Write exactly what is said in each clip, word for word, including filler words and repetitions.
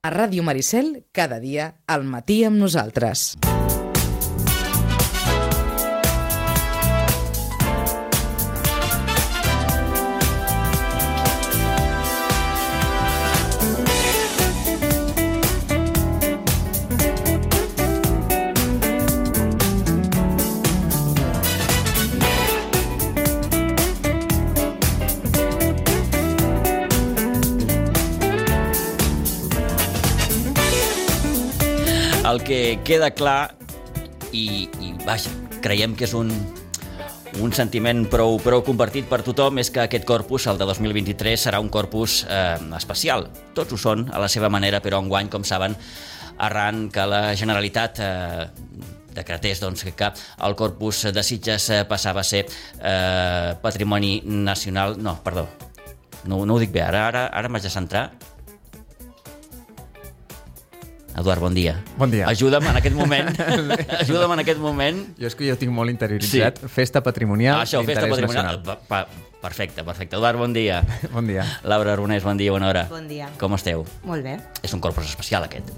A Ràdio Maricel, cada dia, al matí amb nosaltres. El que queda clar, i, i vaja, creiem que és un, un sentiment prou, prou compartit per tothom, és que aquest corpus, el de dos mil vint-i-tres, serà un corpus eh, especial. Tots ho són, a la seva manera, però enguany, com saben, arran que la Generalitat eh, decretés doncs, que el corpus de Sitges eh, passava a ser eh, patrimoni nacional... No, perdó, no, no ho dic bé, ara, ara, ara m'haig de centrar... Eduard, bon dia. Bon dia. Ajuda'm en aquest moment. Ajuda'm en aquest moment. Jo és que jo tinc molt interioritzat. Sí. Festa patrimonial ah, això, d'interès festa patrimonial. nacional. Pa, pa, perfecte, perfecte. Eduard, bon dia. Bon dia. Laura Aronés, bon dia, bona hora. Bon dia. Com esteu? Molt bé. És un corpus especial, aquest.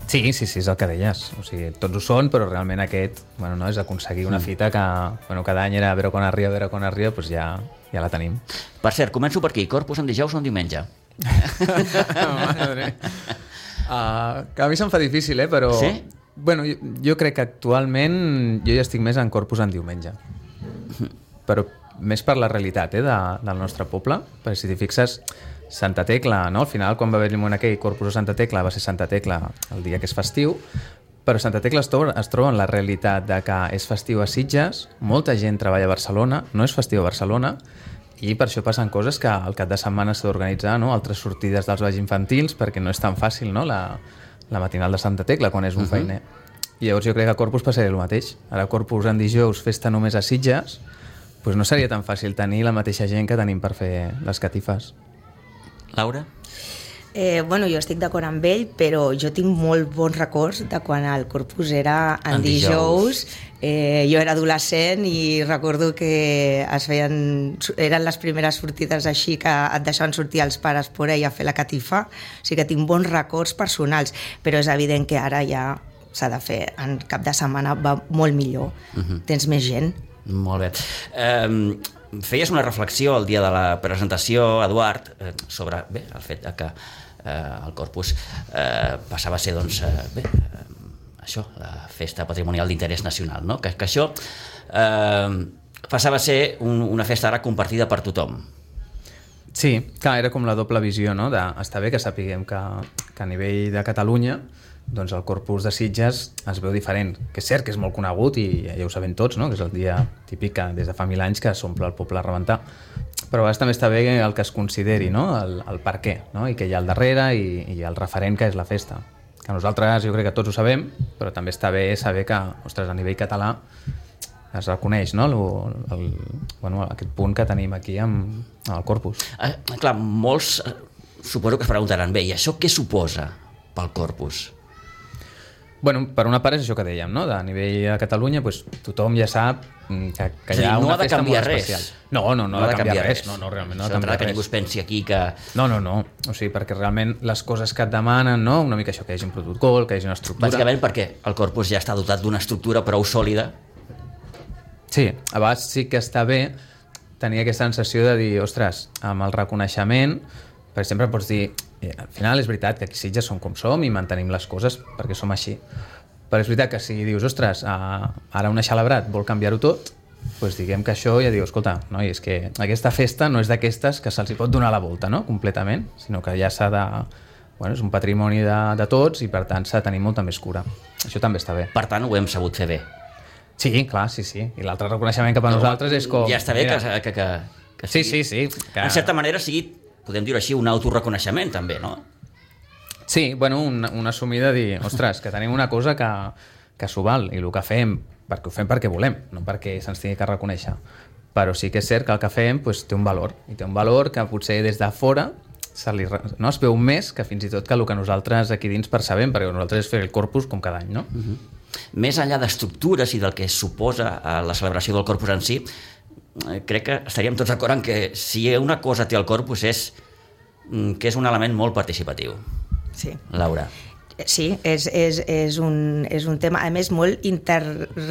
Sí, sí, sí, és el que deies. O sigui, tots ho són, però realment aquest, bueno, no, és aconseguir una fita que, bueno, cada any era a veure quan arriba, a veure quan arriba, doncs ja, ja la tenim. Per cert, començo per aquí. Corpus en dijous o en diumenge? Madre. Uh, que a mi se'm fa difícil, eh, però... Sí? Bueno, jo, jo crec que actualment jo ja estic més en corpus en diumenge. Però més per la realitat, eh, de, del nostre poble. Perquè si t'hi fixes, Santa Tecla, no? Al final, quan va haver-hi un aquell corpus a Santa Tecla, va ser Santa Tecla el dia que és festiu, però Santa Tecla es troba, es troba en la realitat de que és festiu a Sitges, molta gent treballa a Barcelona, no és festiu a Barcelona, i per això passen coses que al cap de setmana s'ha d'organitzar, no? Altres sortides dels balls infantils, perquè no és tan fàcil, no? la, la matinal de Santa Tecla, quan és un uh-huh. feiner. I llavors jo crec que a Corpus passarà el mateix. Ara Corpus en dijous, festa només a Sitges, doncs no seria tan fàcil tenir la mateixa gent que tenim per fer les catifes. Laura? Eh, bueno, jo estic d'acord amb ell, però jo tinc molt bons records de quan el Corpus era en, en dijous. dijous. Eh, jo era adolescent i recordo que es feien, eren les primeres sortides així que et deixaven sortir els pares por ahí a fer la catifa. O sigui que tinc bons records personals, però és evident que ara ja s'ha de fer. En cap de setmana va molt millor. Uh-huh. Tens més gent. Molt bé. Um... Feies una reflexió el dia de la presentació, Eduard, eh, sobre bé, el fet que eh, el corpus eh, passava a ser doncs, eh, bé, eh, això, la festa patrimonial d'interès nacional, no? que, que això eh, passava a ser un, una festa ara compartida per tothom. Sí, clar, era com la doble visió, no? De, està bé que sapiguem que, que a nivell de Catalunya doncs el corpus de Sitges es veu diferent, que és cert que és molt conegut i ja ho sabem tots, no? Que és el dia típic que des de fa mil anys que s'omple el poble a rebentar, però a vegades també està bé el que es consideri, no? el, el per què, no? I què hi ha al darrere i, i el referent que és la festa, que nosaltres jo crec que tots ho sabem, però també està bé saber que, ostres, a nivell català es reconeix, no? el, el, bueno, aquest punt que tenim aquí amb, amb el corpus. Eh, clar, molts eh, suposo que es preguntaran, bé, i això què suposa pel corpus? Bueno, per una part és això que dèiem, no? De nivell de Catalunya, pues, tothom ja sap que, que hi ha no una ha de festa molt especial. Res. No, no, no, no ha de canviar, canviar res. res. No, no, realment no ha de canviar que res. Ningú es pensi aquí que... No, no, no. O sigui, perquè realment les coses que et demanen, no? Una mica això, que hi hagi un protocol, que hi hagi una estructura... Bàsicament perquè el corpus ja està dotat d'una estructura prou sòlida. Sí, a vegades sí que està bé tenir aquesta sensació de dir, ostres, amb el reconeixement, per exemple, pots dir, al final és veritat que aquí Sitges som com som i mantenim les coses perquè som així. Però és veritat que si dius, ostres, ara una Xalabrat vol canviar-ho tot, doncs diguem que això ja diu, escolta, no, és que aquesta festa no és d'aquestes que se'ls pot donar la volta, no?, completament, sinó que ja s'ha de... Bueno, és un patrimoni de, de tots i per tant s'ha de tenir molta més cura. Això també està bé. Per tant, ho hem sabut fer bé. Sí, clar, sí, sí. I l'altre reconeixement cap a no, nosaltres és com... Ja està bé mira, que, que, que, que sigui... Sí, sí, sí. Que... En certa manera sigui, podem dir-ho així, un autoreconeixement també, no? Sí, bueno, una, una assumida de dir, ostres, que tenim una cosa que, que s'ho val i el que fem, perquè ho fem perquè volem, no perquè se'ns tingui que reconèixer. Però sí que és cert que el que fem pues, té un valor, i té un valor que potser des de fora se li, no, es veu més que fins i tot que el que nosaltres aquí dins percebem, perquè nosaltres és fer el corpus com cada any, no? Uh-huh. Més enllà d'estructures i del que suposa la celebració del corpus en si, crec que estaríem tots d'acord en que si una cosa té el corpus és que és un element molt participatiu. Sí. Laura. Sí, és, és, és, un, és un tema, a més, molt inter...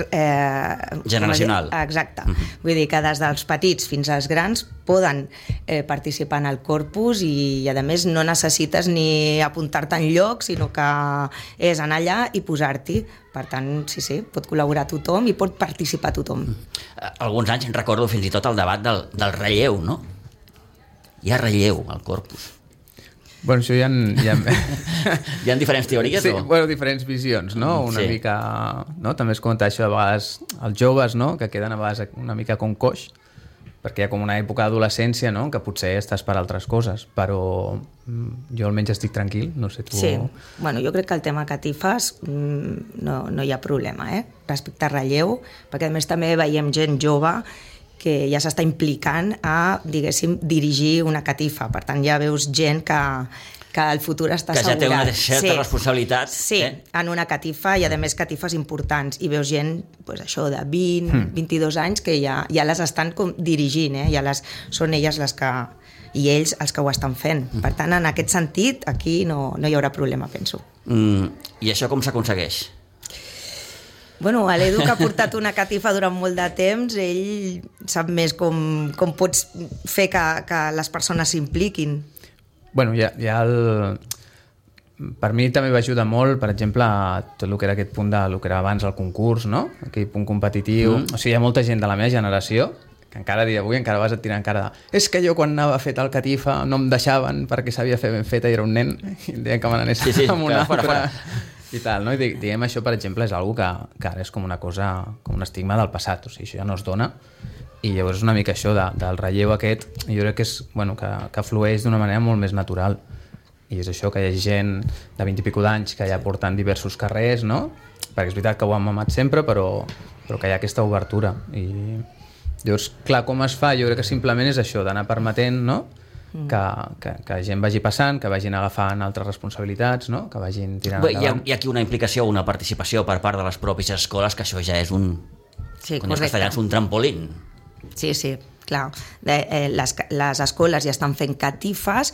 Eh, generacional. Exacte. Mm-hmm. Vull dir que des dels petits fins als grans poden eh, participar en el corpus i, i, a més, no necessites ni apuntar-te en lloc, sinó que és anar allà i posar-t'hi. Per tant, sí, sí, pot col·laborar tothom i pot participar tothom. Alguns anys recordo fins i tot el debat del, del relleu, no? Hi ha relleu al corpus. Bueno, això hi ha... Hi ha, hi ha diferents teories? Sí, o? bueno, diferents visions, no? Una sí. mica... No? També es comenta això de vegades els joves, no? Que queden a vegades una mica com coix, perquè hi ha com una època d'adolescència, no? Que potser estàs per altres coses, però jo almenys estic tranquil, no sé tu... Sí, bueno, jo crec que el tema catifes no, no hi ha problema, eh? Respecte a relleu, perquè a més també veiem gent jove que ja s'està implicant a, diguéssim, dirigir una catifa. Per tant, ja veus gent que, que el futur està que assegurat. Que ja té una certa sí. responsabilitat. Sí, eh? en una catifa i, a més, catifes importants. I veus gent, pues, això, de vint, mm. vint-i-dos anys que ja, ja les estan com dirigint, eh? Ja les, són elles les que... i ells els que ho estan fent. Mm. Per tant, en aquest sentit, aquí no, no hi haurà problema, penso. Mm, I això com s'aconsegueix? Bueno, l'Edu, que ha portat una catifa durant molt de temps, ell sap més com, com pots fer que, que les persones s'impliquin. Bueno, hi ha, hi ha el... Per mi també va ajudar molt, per exemple, tot el que era aquest punt de lo que era abans el concurs, no? Aquell punt competitiu. Mm. O sigui, hi ha molta gent de la meva generació que encara a dia d'avui encara vas a tirar encara de és que jo quan anava a fer tal catifa no em deixaven perquè sabia fer ben feta i era un nen i em deien que me n'anés sí, sí, amb una fora, altra... fora. I tal, no? I diguem, això, per exemple, és algo que, que ara és com una cosa, com un estigma del passat, o sigui, això ja no es dona, i llavors és una mica això de, del relleu aquest, jo crec que és, bueno, que, que flueix d'una manera molt més natural, i és això, que hi ha gent de vint i pico d'anys que ja porten diversos carrers, no? Perquè és veritat que ho han mamat sempre, però, però que hi ha aquesta obertura, i llavors, clar, com es fa? Jo crec que simplement és això, d'anar permetent, no? Que, que, que gent vagi passant, que vagin agafant altres responsabilitats, no? Que vagin tirant Bé, endavant. Hi ha, hi ha aquí una implicació, una participació per part de les pròpies escoles, que això ja és un, sí, quan els castellans, un trampolín. Sí, sí, clar. De, eh, les, les escoles ja estan fent catifes,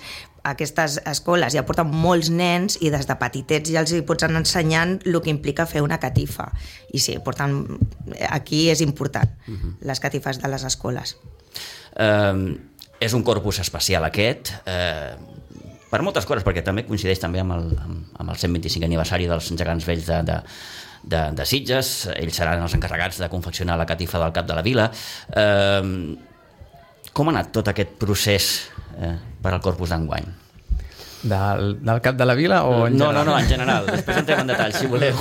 aquestes escoles ja porten molts nens i des de petitets ja els hi pots anar ensenyant el que implica fer una catifa. I sí, porten, aquí és important, uh-huh. les catifes de les escoles. Um, és un corpus especial aquest, eh, per moltes coses, perquè també coincideix també amb el, amb, amb el cent vint-i-cinc aniversari dels gegants vells de, de, de, de Sitges. Ells seran els encarregats de confeccionar la catifa del Cap de la Vila. Eh, com ha anat tot aquest procés eh, per al corpus d'enguany? Del, del Cap de la Vila o en no, general? No, no, en general. Després entrem en detall, si voleu.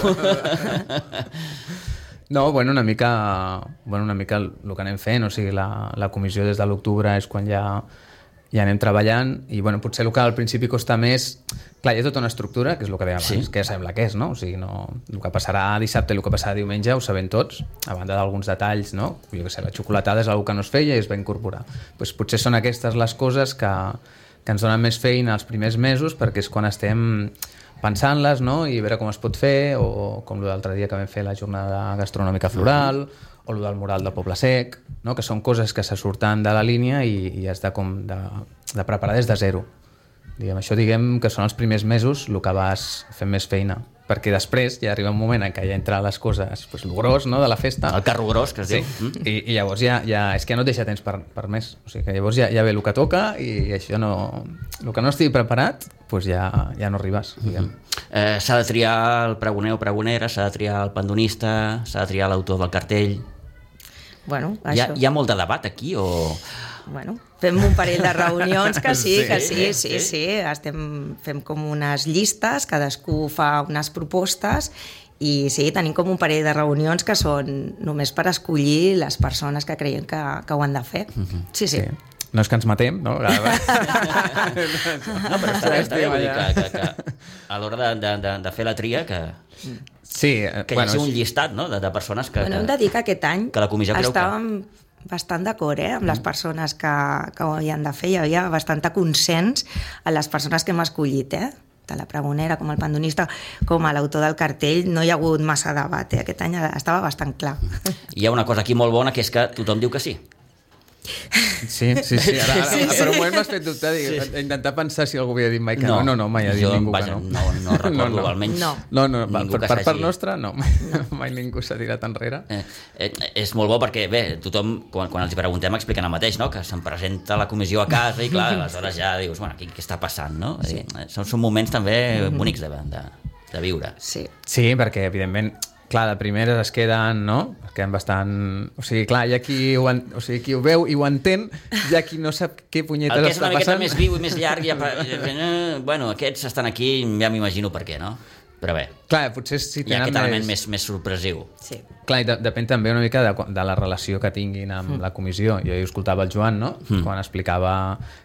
No, bueno, una mica, bueno, una mica el, el que anem fent, o sigui, la, la comissió des de l'octubre és quan ja, ja anem treballant i bueno, potser el que al principi costa més, clar, hi ha tota una estructura, que és el que dèiem abans, sí. que ja sabem la que és, no? O sigui, no, el que passarà dissabte i el que passarà diumenge ho sabem tots, a banda d'alguns detalls, no? Jo què sé, la xocolatada és una que no es feia i es va incorporar. Pues potser són aquestes les coses que, que ens donen més feina els primers mesos perquè és quan estem pensant-les, no? I veure com es pot fer, o com l'altre dia que vam fer la jornada gastronòmica floral, o el del mural del Poble Sec, no? Que són coses que se surten de la línia i, i has de, com de, de preparar des de zero. Diguem, això diguem que són els primers mesos el que vas fent més feina, perquè després ja arriba un moment en què ja entra les coses, pues, el gros, no?, de la festa. El carro gros, que es sí. diu. Mm. I, I llavors ja, ja, és que ja no et deixa temps per, per més. O sigui que llavors ja, ja ve el que toca i això no... El que no estigui preparat, pues ja, ja no arribes, diguem. Mm-hmm. Eh, s'ha de triar el pregoner o pregonera, s'ha de triar el pandonista, s'ha de triar l'autor del cartell... Bueno, això... hi, ha, hi ha molt de debat aquí o... Bueno, fem un parell de reunions que sí, sí que sí, sí, sí, sí. Estem, fem com unes llistes, cadascú fa unes propostes i sí, tenim com un parell de reunions que són només per escollir les persones que creiem que, que ho han de fer. Sí, sí. sí. No és que ens matem, no? No, però està bé, està bé, vull dir que, que, que a l'hora de, de, de, de fer la tria que... Sí, que hi bueno, hagi un llistat, no?, de, de persones que... Bueno, hem de dir que aquest any que la comissió creu estàvem que... bastant d'acord, eh, amb les persones que, que ho havien de fer. Hi havia bastant consens a les persones que hem escollit, eh? De la pregonera, com el pandonista, com a l'autor del cartell. No hi ha hagut massa debat, eh? Aquest any estava bastant clar. Hi ha una cosa aquí molt bona, que és que tothom diu que sí. Sí, sí, sí. Ara, ara, sí, sí. Per un moment m'has fet dubtar, dic, sí. intentar pensar si algú havia dit mai que no. No, no, no mai ha dit jo, ningú vaja, que no. No, no recordo, no, no. almenys no. No, no, ningú per, per part nostra, no. no. Mai ningú s'ha tirat enrere. Eh, eh, és molt bo perquè, bé, tothom, quan, quan els hi preguntem, expliquen el mateix, no? Que se'n presenta la comissió a casa i, clar, aleshores ja dius, bueno, què, què està passant, no? Sí. Eh, són, són moments també bonics de, de, de viure. Sí. Sí, perquè, evidentment, clar, de primeres es queden, no? Es queden bastant... O sigui, clar, hi ha qui ho, en... o sigui, qui ho veu i ho entén, hi ha qui no sap què punyetes està passant. El que és una miqueta més viu i més llarg, ja... bueno, aquests estan aquí, ja m'imagino per què, no? Però bé, clar, potser si hi ha aquest element més, més sorpresiu. Sí. Clar, i de, depèn també una mica de, de la relació que tinguin amb mm. la comissió. Jo hi escoltava el Joan, no? Mm. Quan explicava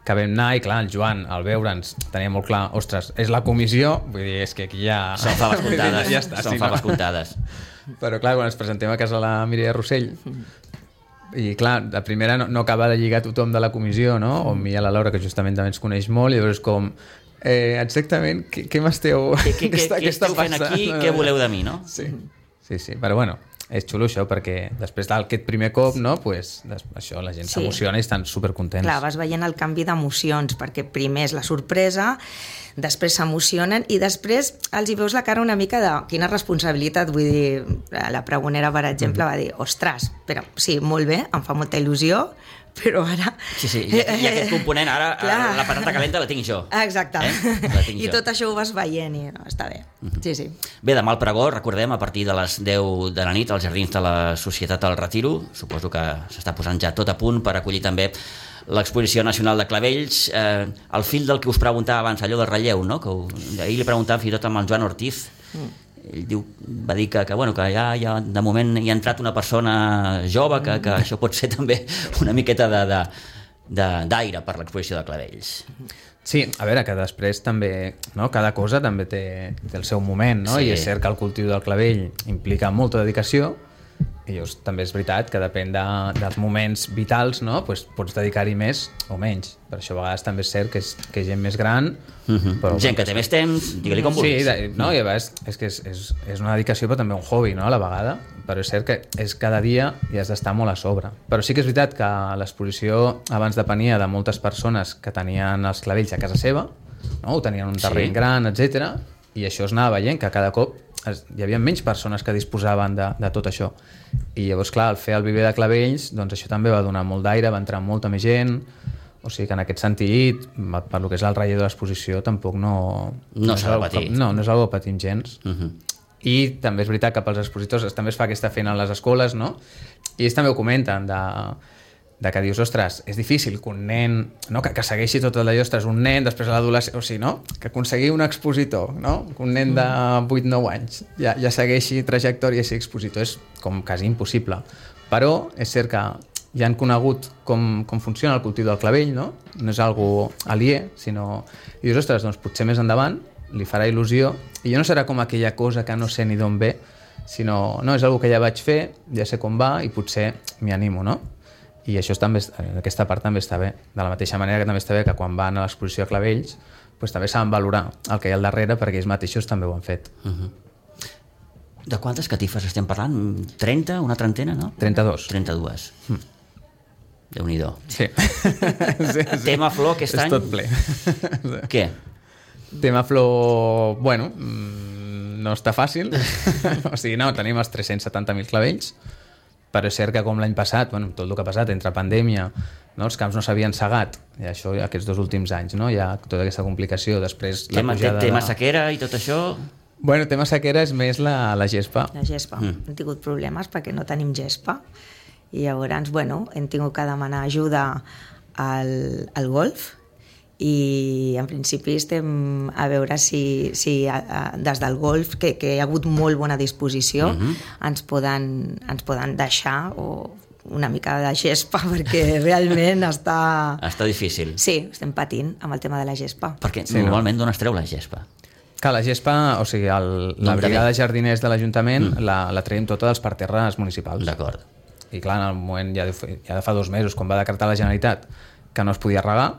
que vam anar, i clar, el Joan, al veure'ns, tenia molt clar, ostres, és la comissió, vull dir, és que aquí ja... Són faves comptades, ja està, són sí, faves no? comptades. Però clar, quan ens presentem a casa la Mireia Rossell, i clar, de primera no, no acaba de lligar tothom de la comissió, no? O mi a la Laura, que justament també ens coneix molt, i llavors com... Eh, exactament, què, què m'esteu... Què, què, què, què esteu fent aquí? Què voleu de mi, no? Sí, sí, sí, però bueno, és xulo això, perquè després d'aquest primer cop, no, pues, això, la gent sí. s'emociona i estan supercontents. Clar, vas veient el canvi d'emocions, perquè primer és la sorpresa, després s'emocionen i després els hi veus la cara una mica de quina responsabilitat, vull dir, la pregonera, per exemple, mm-hmm. va dir, ostres, però sí, molt bé, em fa molta il·lusió, però ara... Sí, sí, i, i aquest component, ara, ara la patata calenta la tinc jo. Exacte. Eh? La tinc I jo. tot això ho vas veient i no, està bé. Uh-huh. Sí, sí. Bé, demà al pregó, recordem, a partir de les deu de la nit, als Jardins de la Societat del Retiro. Suposo que s'està posant ja tot a punt per acollir també l'Exposició Nacional de Clavells. Eh, el fil del que us preguntava abans, allò del relleu, no? Que ho, ahir li preguntàvem fins i tot amb el Joan Ortiz. Mm. Ell diu, va dir que, que, bueno, que ja, ja de moment hi ha entrat una persona jove, que, que això pot ser també una miqueta de, de, de, d'aire per l'exposició de Clavells. Sí, a veure, que després també, no? Cada cosa també té, té el seu moment, no? Sí. I és cert que el cultiu del clavell implica molta dedicació, i llavors també és veritat que depèn de, dels moments vitals, no? Pues pots dedicar-hi més o menys. Per això a vegades també és cert que és, que és gent més gran, uh-huh. però gent que té més temps, digue-li com vulguis. Sí, de, no, i a vegades és que és, és, és una dedicació però també un hobby, no? A la vegada, però és cert que és cada dia i has d'estar molt a sobre. Però sí que és veritat que l'exposició abans depenia de moltes persones que tenien els clavells a casa seva, no? O tenien un terreny sí. gran, etcètera, i això es anava veient que cada cop es, hi havia menys persones que disposaven de, de tot això, i llavors clar, al fer el viver de clavells, doncs això també va donar molt d'aire, va entrar molta més gent, o sigui que en aquest sentit, per lo que és el relleu de l'exposició, tampoc no... No, no s'ha de patir. No, no és algo que patim gens. Uh-huh. I també és veritat que pels expositors també es fa aquesta feina a les escoles, no? I ells també ho comenten, de, de que dius, ostres, és difícil que un nen, no? que, que segueixi tot el d'allò, ostres, un nen, després a l'adolescent, o sigui, no? Que aconseguir un expositor, no? Que un nen de vuit nou anys ja, ja segueixi trajectòria i sigui expositor és com quasi impossible. Però és cert que ja han conegut com, com funciona el cultiu del clavell, no? No és algo aliè, sinó... I dius, ostres, doncs potser més endavant li farà il·lusió, i ja no serà com aquella cosa que no sé ni d'on ve, sinó, no, és algo que ja vaig fer, ja sé com va, i potser m'hi animo, no? I això també, aquesta part també està bé. De la mateixa manera que també està bé que quan van a l'exposició a clavells, doncs també saben valorar el que hi ha al darrere, perquè ells mateixos també ho han fet. Uh-huh. De quantes catifes estem parlant? trenta? Una trentena, no? trenta-dos. trenta-dues. Mm. Déu-n'hi-do. Sí. sí, sí. Tema flor aquest any? És tot ple. Què? Tema flor, bueno, no està fàcil. O sigui, no, tenim els tres-cents setanta mil clavells, però és cert que com l'any passat, bueno, tot el que ha passat entre pandèmia, no, els camps no s'havien segat, i això aquests dos últims anys, no? Hi ha tota aquesta complicació, després la tema, pujada... Tema de... sequera i tot això... Bueno, tema sequera és més la, la gespa. La gespa. Mm. Hem tingut problemes perquè no tenim gespa, i llavors, bueno, hem tingut que demanar ajuda al, al golf, i en principi estem a veure si, si a, a, des del golf, que, que hi ha hagut molt bona disposició, mm-hmm. ens, poden, ens poden deixar o una mica de gespa, perquè realment està... Està difícil. Sí, estem patint amb el tema de la gespa. Perquè sí, normalment no? d'on es treu la gespa? Que la gespa, o sigui, el, la brigada de jardiners de l'Ajuntament mm. la, la traiem tota dels parterres municipals. D'acord. I clar, en el moment, ja de, ja de fa dos mesos, quan va decretar la Generalitat que no es podia regar,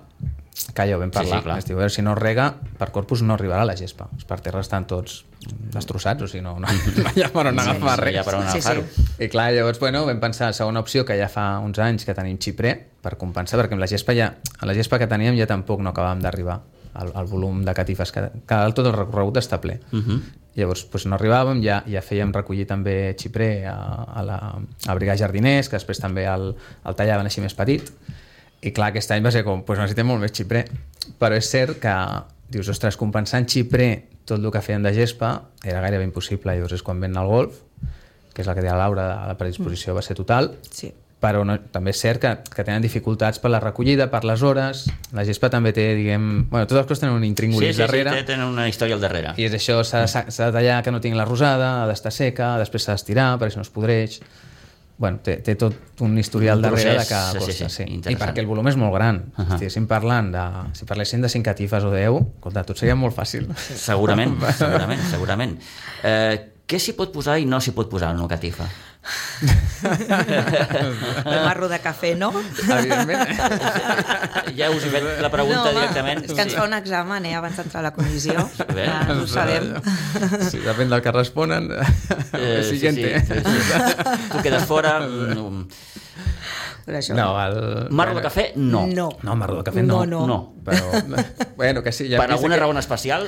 que ja ho vam parlar. Sí, sí, clar. Es diu, a veure, si no rega, per Corpus no arribarà la gespa. Els parterres estan tots destrossats, o sigui, no, no, no hi ha per on Sí, agafar no res. hi ha per on Sí, agafar-ho. sí. I clar, llavors, bueno, vam pensar, segona opció, que ja fa uns anys que tenim xiprer, per compensar, perquè amb la gespa ja, a la gespa que teníem ja tampoc no acabàvem d'arribar al, al volum de catifes, que, que tot el recorregut està ple. Uh -huh. Llavors, doncs no arribàvem, ja, ja fèiem recollir també xiprer a, a la a Brigar Jardiners, que després també el, el tallaven així més petit, i clar, aquest any va ser com, doncs necessitem molt més xiprer. Però és cert que dius, ostres, compensant xiprer tot el que feien de gespa era gairebé impossible. Llavors és quan ven el golf, que és el que deia Laura, la predisposició va ser total, Sí. però no, també és cert que, que tenen dificultats per la recollida, per les hores. La gespa també té, diguem... Bueno, totes les coses tenen un Sí, intríngulis sí, darrere. sí, tenen una història al darrere. I és això, s'ha de, s'ha de tallar que no tingui la rosada, ha d'estar seca, després s'ha d'estirar perquè no es podreix. Bueno, té, té tot un historial Un darrere de procés, que sí, costa, sí, sí, sí. I interessant. perquè el volum és molt gran. Uh -huh. Si estiguéssim parlant de... Si parléssim de cinc catifes o deu, escolta, tot seria molt fàcil. Segurament, segurament, segurament. Eh, què s'hi pot posar i no s'hi pot posar en una catifa? El marro de cafè, no? Evidentment. Ja us he fet la pregunta no, home, directament. És que ens fa un examen, eh, abans d'entrar a la comissió. Bé. Ja, ho sabem. Sí, depèn del que responen. Eh, El sí, siguiente. sí, sí, sí. Tu quedes fora. No. Però això... No, el... Marro de cafè, no. No. No, marro de cafè no. No, no. No. Però, bueno, que sí. Ja Per alguna raó en especial?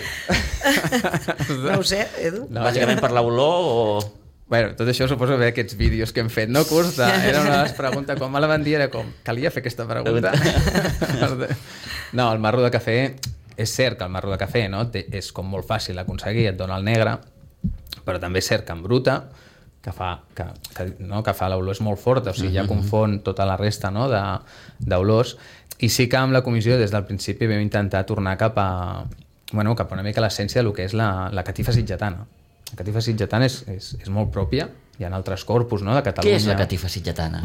No ho sé, Edu. No, Bàsicament per l'olor o... Bueno, tot això suposo que aquests vídeos que hem fet no costa, era una de les preguntes, quan me la van dir era com, calia fer aquesta pregunta? No, el marro de cafè, és cert que el marro de cafè, no? Té, és com molt fàcil aconseguir, et dona el negre, però també és cert que en bruta, que fa, que, que, no? que fa l'olor és molt forta, o sigui, ja confon tota la resta, no? de, d'olors, i sí que amb la comissió des del principi vam intentar tornar cap a, bueno, cap a una mica l'essència del que és la, la catifa sitgetana. La catifa sitgetana és, és, és molt pròpia, hi ha altres corpus, no?, de Catalunya. Què és la catifa sitgetana?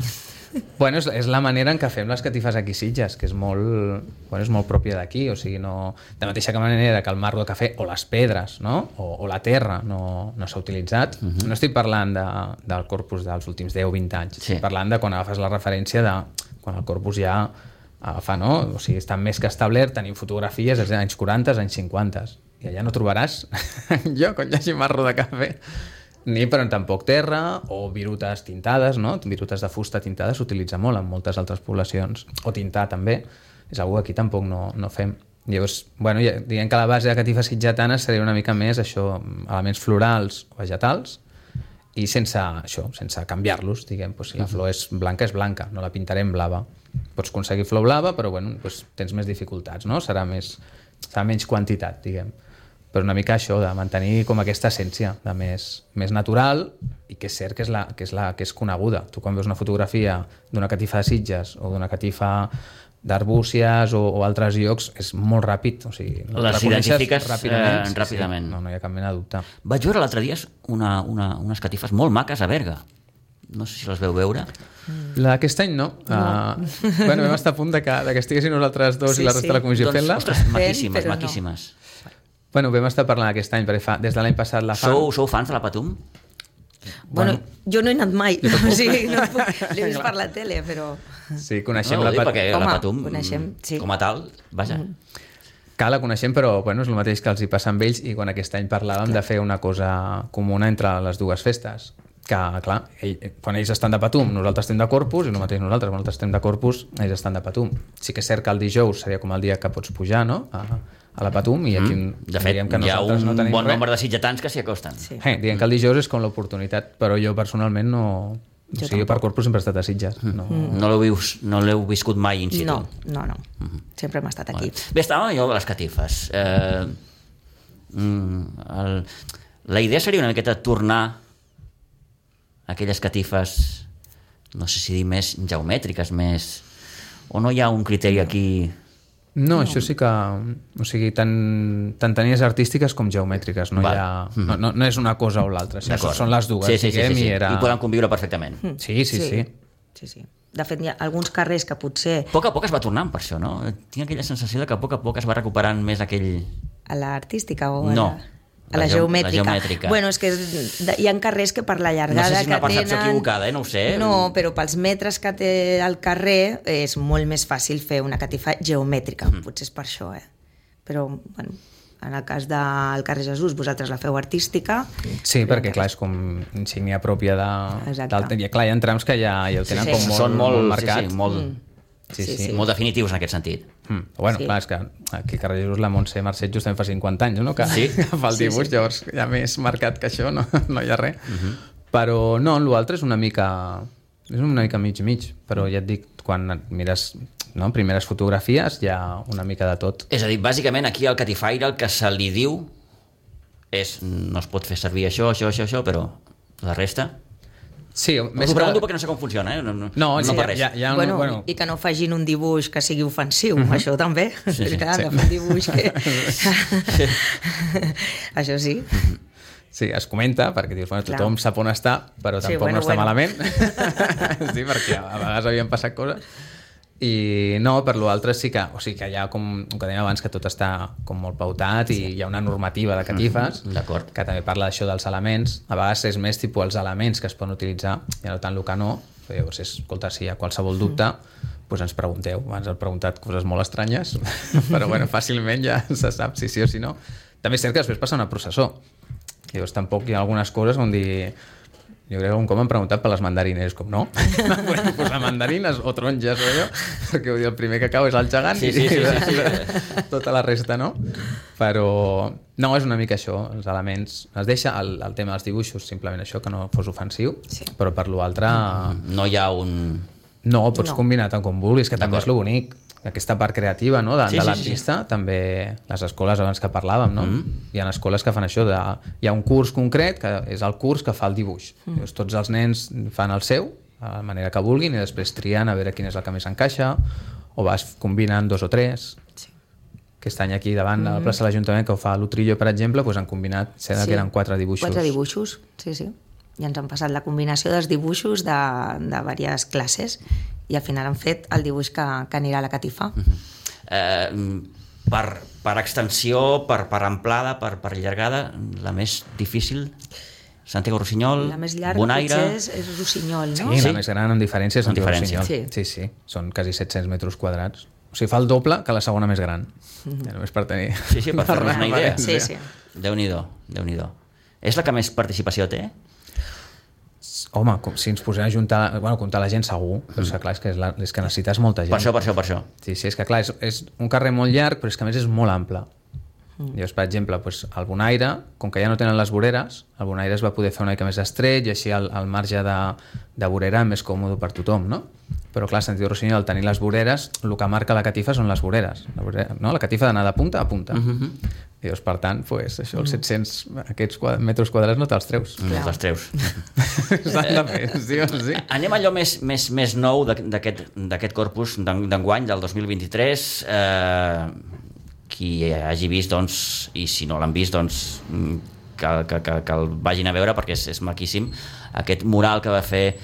Bueno, és, és la manera en què fem les catifes aquí a Sitges, que és molt, bueno, és molt pròpia d'aquí, o sigui, no, de mateixa manera que el marro de cafè o les pedres, no?, o, o la terra no, no s'ha utilitzat. Uh -huh. No estic parlant de, del corpus dels últims deu o vint anys, Sí. estic parlant de quan agafes la referència de quan el corpus ja agafa, no?, o sigui, està més que establert, tenim fotografies dels anys quaranta, anys cinquanta, i allà no trobaràs lloc on hi hagi marro de cafè, ni però tampoc terra, o virutes tintades, no? Virutes de fusta tintades s'utilitza molt en moltes altres poblacions, o tintar també, és algo que aquí tampoc no, no fem. Llavors, bueno, ja, diguem que la base de catifes sitgetanes seria una mica més això, elements florals o vegetals, i sense això, sense canviar-los, diguem, doncs, si la flor és blanca, és blanca, no la pintarem blava. Pots aconseguir flor blava, però bueno, doncs, tens més dificultats, no? Serà més, serà menys quantitat, diguem. Però una mica això, de mantenir com aquesta essència de més, més natural, i que és cert que és, la, que, és la, que és coneguda. Tu quan veus una fotografia d'una catifa de Sitges o d'una catifa d'Arbúcies o, o altres llocs, és molt ràpid, o sigui, Les reconeixes identifiques ràpidament, eh, sí, ràpidament. Sí, no, no hi ha cap mena de dubte. Vaig veure l'altre dia una, una, unes catifes molt maques a Berga. No sé si les veu veure. La d'aquest any no. no. Uh, bueno, vam estar a punt de que, de que estiguessin nosaltres dos Sí, i la resta sí. de la comissió Doncs, fent-la. ostres, maquíssimes, però no. maquíssimes. Bueno, vam estar parlant aquest any, perquè fa, des de l'any passat la fan. Sou, sou fans de la Patum? Bueno, Bueno. jo no he anat mai, o sigui, no puc, l'he vist per la tele, però... Sí, coneixem no, la dic Pat... perquè Home, la Patum, coneixem, sí. com a tal, vaja. Mm. Que la coneixem, però bueno, és el mateix que els hi passa amb ells, i quan aquest any parlàvem de fer una cosa comuna entre les dues festes, que clar, ell, quan ells estan de Patum nosaltres estem de Corpus, i el mateix nosaltres quan nosaltres estem de Corpus, ells estan de Patum. Sí que és cert que el dijous seria com el dia que pots pujar, no?, a, a la Patum, i aquí Mm. De fet, diguem que hi ha nosaltres un no tenim bon res. nombre de sitgetans que s'hi acosten. Sí. Eh, diguem que el dijous és com l'oportunitat, però jo personalment no... Jo o sigui, per Corpus sempre he estat a Sitges. Mm. No... No l'heu vis- no l'heu viscut mai in situ? No, no, no. Sempre hem estat aquí. Bé, estàvem allò de les catifes. Eh, mm, el, la idea seria una miqueta tornar a aquelles catifes, no sé si dir més geomètriques, més... O no hi ha un criteri aquí... No, això sí que... O sigui, tant, tant tenies artístiques com geomètriques. No, hi Val. ha, no, no, no és una cosa o l'altra. Això D'acord. són les dues. Sí, sí, sí, diguem, sí, sí. I, era... I poden conviure perfectament. Sí, sí, sí. sí, sí. De fet, hi ha alguns carrers que potser A poc a poc es va tornant per això, no? Tinc aquella sensació de que a poc a poc es va recuperant més aquell... a l'artística o a No. la... A la, la geomètrica. La geomètrica. Bueno, és que hi ha carrers que per la llargada no sé si és una que percepció tenen... equivocada, eh? No ho sé. No, però pels metres que té el carrer és molt més fàcil fer una catifa geomètrica. Mm. Potser és per això, eh? Però, bueno, en el cas del carrer Jesús, vosaltres la feu artística. Sí, perquè, clar, és com insígnia pròpia de... Exacte. Del... Clar, hi ha trams que ja, ja ho tenen Sí, sí. com molt, Són molt, molt marcat. Sí, sí, molt, Mm. Sí, Sí, sí. sí. Molt... molt definitius en aquest sentit. Mm. Bueno, Sí. clar, és que aquí a Carrer Jesús la Montse Marcet justament fa cinquanta anys, no? Que, Sí. que fa el dibuix, Sí, sí. llavors ja més marcat que això, no, no hi ha res. Uh -huh. Però no, l'altre és una mica... És una mica mig-mig, però ja et dic, quan mires no, primeres fotografies hi ha una mica de tot. És a dir, bàsicament aquí al catifaire el que se li diu és no es pot fer servir això, això, això, això, però la resta... Sí, Més Us ho pregunto perquè no sé com funciona, eh? No, no, No, no sí, per res. hi ha, hi ha un, Bueno, bueno, i que no facin un dibuix que sigui ofensiu, uh-huh. això també. Sí, sí. Clar, Sí. de fer un dibuix que... això sí. sí, es comenta, perquè dius, bueno, Clar. tothom sap on està, però Sí, tampoc bueno, no està bueno. malament. Sí, perquè a vegades havien passat coses. I no, per l'altre sí que, o sigui que hi ha com, com que dèiem abans, que tot està com molt pautat i hi ha una normativa de catifes Mm, d'acord. que també parla d'això dels elements. A vegades és més tipus els elements que es poden utilitzar, ja no tant el que no. Llavors, és, escolta, si hi ha qualsevol dubte, doncs ens pregunteu. Abans heu preguntat coses molt estranyes, però bueno, fàcilment ja se sap si sí o si no. També és cert que després passa una processó. I llavors tampoc hi ha algunes coses on dir... Jo crec que un cop m'han preguntat per les mandarines, com no? No podem posar mandarines o taronges o allò, perquè vull dir, el primer que cau és el gegant Sí, sí, sí, i, sí, i tota la resta no. Però no, és una mica això, els elements. Es deixa el, el tema dels dibuixos, simplement això, que no fos ofensiu, Sí. però per l'altre No hi ha un... no, pots No. combinar tant com vulguis, que també és lo bonic. Aquesta part creativa, no?, de, Sí, de sí, l'artista, sí, sí. també les escoles abans que parlàvem, no? Mm. Hi ha escoles que fan això, de, hi ha un curs concret que és el curs que fa el dibuix. Mm. Llavors, tots els nens fan el seu, de la manera que vulguin, i després trien a veure quin és el que més encaixa, o vas combinant dos o tres. Sí. Aquest any aquí davant de la plaça de l'Ajuntament, que ho fa l'Utrillo, per exemple, doncs han combinat, sembla Sí. que eren quatre dibuixos. Quatre dibuixos, sí, sí. I ens han passat la combinació dels dibuixos de, de diverses classes i al final han fet el dibuix que, que anirà a la catifa. Eh, per, per extensió, per, per amplada, per, per llargada, la més difícil... Santiago Rossinyol, La més llarga Bonaire... potser és, és Rossinyol, no? Sí, Sí? la més gran amb diferència és Amb Santiago diferència. Rossinyol. Sí. sí, sí. Són quasi set-cents metres quadrats. O sigui, fa el doble que la segona més gran. Ja només per tenir... Sí, sí, per fer-nos una idea. Sí, sí. Déu-n'hi-do, Déu-n'hi-do. És la que més participació té? Home, com, si ens posem a juntar... Bueno, comptar la gent segur, però és que clar, és que, és la, és que necessites molta gent. Per això, per això, per això. Sí, sí, és que clar, és, és un carrer molt llarg, però és que a més és molt ample. Mm. Llavors, per exemple, doncs, el Bonaire, com que ja no tenen les voreres, el Bonaire es va poder fer una mica més estret i així el, el marge de, de vorera més còmode per tothom, no? Però clar, Santiago Rossinyol, al tenir les voreres, el que marca la catifa són les voreres. La, vorera, no? La catifa d'anar de punta a punta. Mm -hmm. I llavors, per tant, pues, això, els set-cents aquests quadra, metres quadrats no te'ls treus. No te'ls treus. S'han de fer, sí o sí. Anem a allò més, més, més nou d'aquest corpus d'enguany, del dos mil vint-i-tres. Eh, qui hagi vist, doncs, i si no l'han vist, doncs, que, que, que, que el vagin a veure perquè és, és maquíssim. Aquest mural que va fer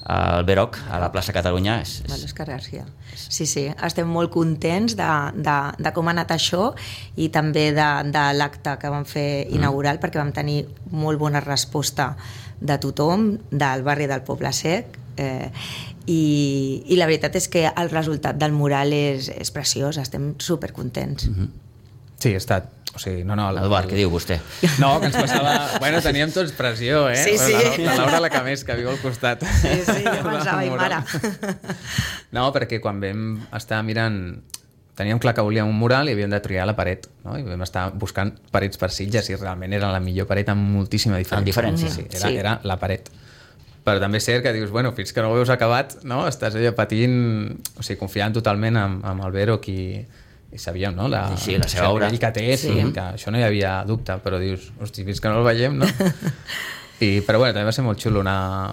el Veroc a la plaça Catalunya és, és... Vale, García. Sí, sí, estem molt contents de, de, de com ha anat això i també de, de l'acte que vam fer inaugural, mm. perquè vam tenir molt bona resposta de tothom, del barri del Poble Sec, eh, i, i la veritat és que el resultat del mural és, és preciós, estem supercontents. Mm-hmm. Sí, ha estat. O sigui, no, no, el, Eduard, què diu vostè? No, que ens passava... Bueno, teníem tots pressió, eh? Sí, sí. La, la Laura la que més, que viu al costat. Sí, sí, jo pensava, i mare. No, perquè quan vam estar mirant... Teníem clar que volíem un mural i havíem de triar la paret, no? I vam estar buscant parets per Sitges i realment era la millor paret amb moltíssima diferència. Amb diferència. Sí, era, Sí. era la paret. Però també és cert que dius, bueno, fins que no ho veus acabat, no? Estàs allà patint, o sigui, confiant totalment amb, amb el Veroc i... i sabíem, no? La, Sí, la seva el obra. nivell que té, sí. Sí. Que això no hi havia dubte, però dius, hosti, fins que no el veiem, no? I, però bueno, també va ser molt xulo una...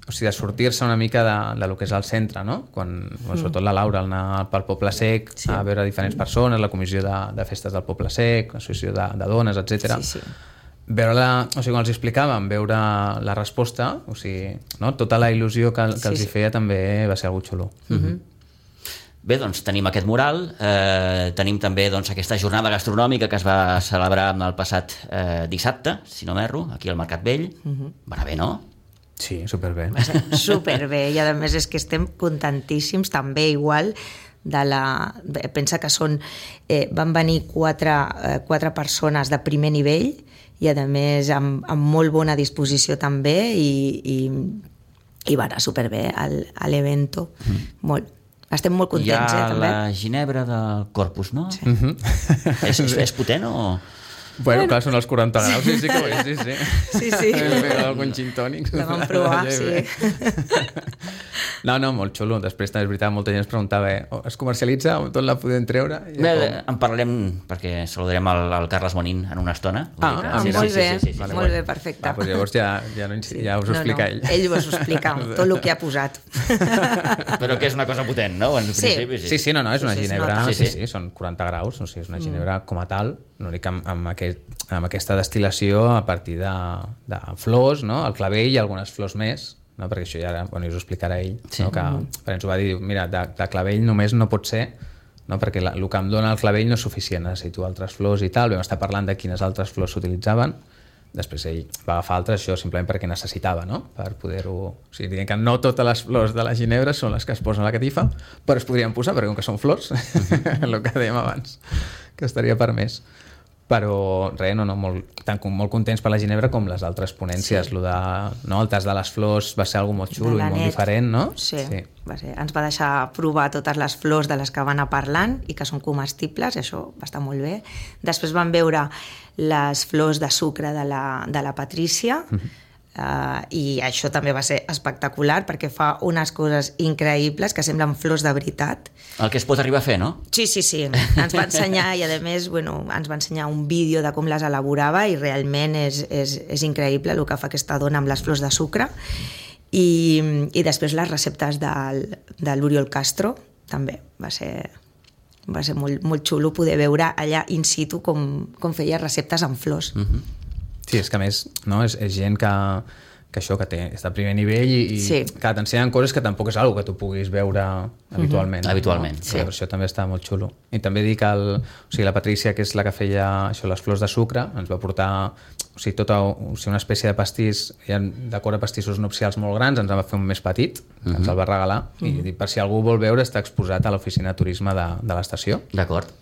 O sigui, de sortir-se una mica de, de lo que és el centre, no? Quan, bueno, sobretot la Laura, al anar pel Poble Sec, Sí. a veure diferents persones, la comissió de, de festes del Poble Sec, l'associació de, de dones, etcètera. Sí, sí. Veure-la, o sigui, quan els explicàvem, veure la resposta, o sigui, no? Tota la il·lusió que, que sí, els hi sí. feia també va ser algo xulo. Mm-hmm. Bé, doncs tenim aquest mural, eh, tenim també doncs, aquesta jornada gastronòmica que es va celebrar el passat eh, dissabte, si no m'erro, aquí al Mercat Vell. Uh-huh. Va anar bé, no? Sí, superbé. Va ser superbé, i a més és que estem contentíssims també igual de la... Pensa que són... Eh, van venir quatre, eh, quatre persones de primer nivell i a més amb, amb molt bona disposició també i, i, i va anar superbé a l'evento. Mm. Molt. Estem molt contents, eh, també. Hi ha també. la ginebra del Corpus, no? Sí. Mm-hmm. és, és, és potent o...? Bueno, clar, són els quaranta graus, sí, sí que ho és, sí, sí. Sí, sí. Algun gin tònic. La vam provar, sí. No, no, molt xulo. Després també és veritat, molta gent es preguntava, eh, es comercialitza o tot la podem treure? Bé, com... en parlarem perquè saludarem el, el Carles Bonín en una estona. Ah, que, ah sí, mira. molt bé, sí, sí, sí, sí, vale, sí. molt bé, perfecte. Va, doncs llavors ja, ja, no, ja us ho no, explica no. ell. Ell us ho explica, tot el que ha posat. Però que és una cosa potent, no? En Sí. principi, sí. Sí, sí, no, no, és una Sí, sí, ginebra, sí, sí, sí. sí, són quaranta graus, o sigui, és una ginebra com a tal, l'únic amb, amb, aquest, amb aquesta destil·lació a partir de, de flors, no? El clavell i algunes flors més, no? Perquè això ja bueno, us ho explicarà ell, Sí. no? Que per ens ho va dir, mira, de, de clavell només no pot ser, no? Perquè la, el que em dona el clavell no és suficient, necessito altres flors i tal, vam estar parlant de quines altres flors s'utilitzaven, després ell va agafar altres, això simplement perquè necessitava, no? Per poder-ho... O sigui, diguem que no totes les flors de la ginebra són les que es posen a la catifa, però es podrien posar, perquè com que són flors, el que dèiem abans, que estaria permès. Però res, no, no, molt, tant, molt contents per la ginebra com les altres ponències. Sí. Lo de, no, el tas de les flors va ser algo molt xulo i molt diferent, no? Sí, sí. Va ser. Ens va deixar provar totes les flors de les que van anar parlant i que són comestibles, i això va estar molt bé. Després vam veure les flors de sucre de la, de la Patrícia, mm-hmm. Uh, i això també va ser espectacular perquè fa unes coses increïbles que semblen flors de veritat. El que es pot arribar a fer, no? Sí, sí, sí. Ens va ensenyar i a més bueno, ens va ensenyar un vídeo de com les elaborava i realment és, és, és increïble el que fa aquesta dona amb les flors de sucre. I, i després les receptes del, de l'Oriol Castro també va ser, va ser molt, molt xulo poder veure allà in situ com, com feia receptes amb flors. Mm-hmm. Sí, és que a més no, és, és gent que, que això que té, està a primer nivell i, i sí. que t'ensenyen coses que tampoc és una que tu puguis veure habitualment. Mm-hmm. Habitualment, no? sí. Per això també està molt xulo. I també dic que el, o sigui, la Patrícia, que és la que feia això, les flors de sucre, ens va portar o sigui, tota o sigui, una espècie de pastís, hi ha decor a pastissos nupcials molt grans, ens en va fer un més petit, que mm-hmm. ens el va regalar, mm-hmm. i dic, per si algú vol veure, està exposat a l'oficina de turisme de, de l'estació. D'acord.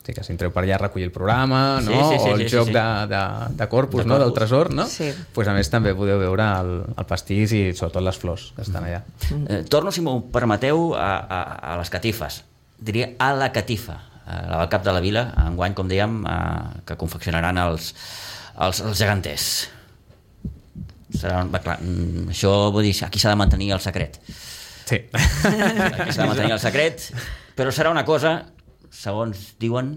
Sí, que si entreu per allà a recollir el programa, no? Sí, sí, sí, o el sí, joc sí, sí. De, de, de Corpus, de no? Corpus. Del tresor, no? Sí. Pues a més també podeu veure el, el pastís i sobretot les flors que estan allà. Eh, torno, si m'ho permeteu, a, a, a les catifes. Diria a la catifa, a la del Cap de la Vila, enguany, com dèiem, eh, que confeccionaran els, els, els geganters. Serà, va, clar, això vull dir, aquí s'ha de mantenir el secret. Sí. Aquí s'ha de mantenir el secret, però serà una cosa, segons diuen...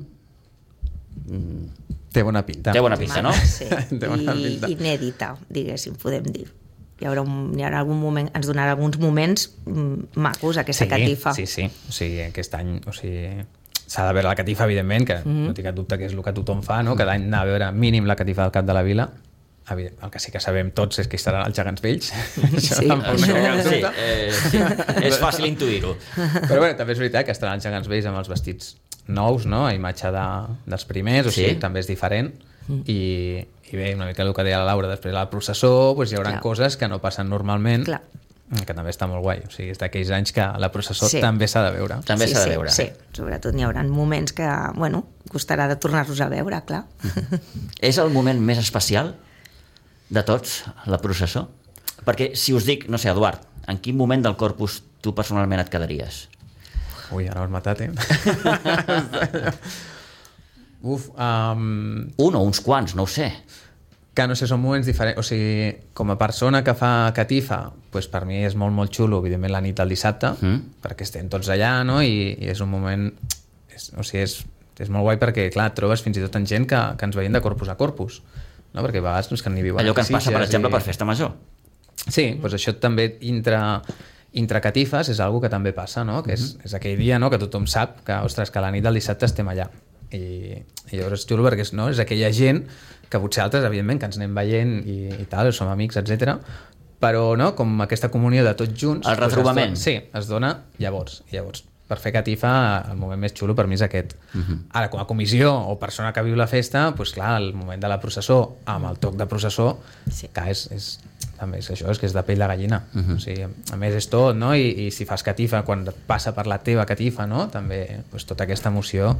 Té bona pinta. Té bona pinta, no? Sí. Té bona I pinta. inèdita, diguéssim, podem dir. Hi haurà, un, hi haurà algun moment, ens donarà alguns moments mm, macos, aquesta sí, catifa. Sí, sí. O sigui, aquest any... O sigui, s'ha de veure la catifa, evidentment, que mm-hmm. no tinc cap dubte que és el que tothom fa, no? Cada any anar a veure mínim la catifa del Cap de la Vila. El que sí que sabem tots és que hi estaran els gegants vells. Això Sí, tampoc no Això, hi ha cap sí, dubte. eh, sí, és fàcil intuir-ho. Però bé, també és veritat que estaran els gegants vells amb els vestits nous, no? A imatge de, dels primers, o Sí. sigui, també és diferent. I, i bé, una mica el que deia la Laura, després de la processó doncs hi haurà Clar. coses que no passen normalment, Clar. que també està molt guai. O sigui, és d'aquells anys que la processó Sí. també s'ha de veure. També sí, s'ha de sí, veure. Sí, sobretot n'hi haurà moments que, bueno, costarà de tornar-los a veure, clar. És el moment més especial de tots, la processó? Perquè si us dic, no sé, Eduard, en quin moment del Corpus tu personalment et quedaries? Ui, ara m'has matat, eh? Uf, um, Un o uns quants, no ho sé. que no sé, són moments diferents. O sigui, com a persona que fa catifa, doncs per mi és molt, molt xulo, evidentment, la nit del dissabte, Mm. perquè estem tots allà, no? I, i és un moment... És, o sigui, és, és molt guai perquè, clar, et trobes fins i tot en gent que, que ens veiem de corpus a corpus, no? Perquè a vegades no és que n'hi viuen Allò que ens passa, per Sitges exemple, i... per Festa Major. Sí, doncs això també intra, intra catifes és algo que també passa, no? Que és, Mm-hmm. és aquell dia, no?, que tothom sap que, ostres, que la nit del dissabte estem allà. I, i llavors és xulo perquè és, no? és aquella gent que potser altres, evidentment, que ens anem veient i, i tal, som amics, etcètera. Però, no?, com aquesta comunió de tots junts... El retrobament. Doncs es dona, sí, es dona llavors. I llavors per fer catifa el moment més xulo per mi és aquest. Uh-huh. Ara, com a comissió o persona que viu la festa, doncs clar, el moment de la processó amb el toc de processó, sí. que és, és, també és això, és que és de pell de gallina. Uh-huh. O sigui, a més és tot, no? I, i si fas catifa quan passa per la teva catifa, no? També doncs, tota aquesta emoció,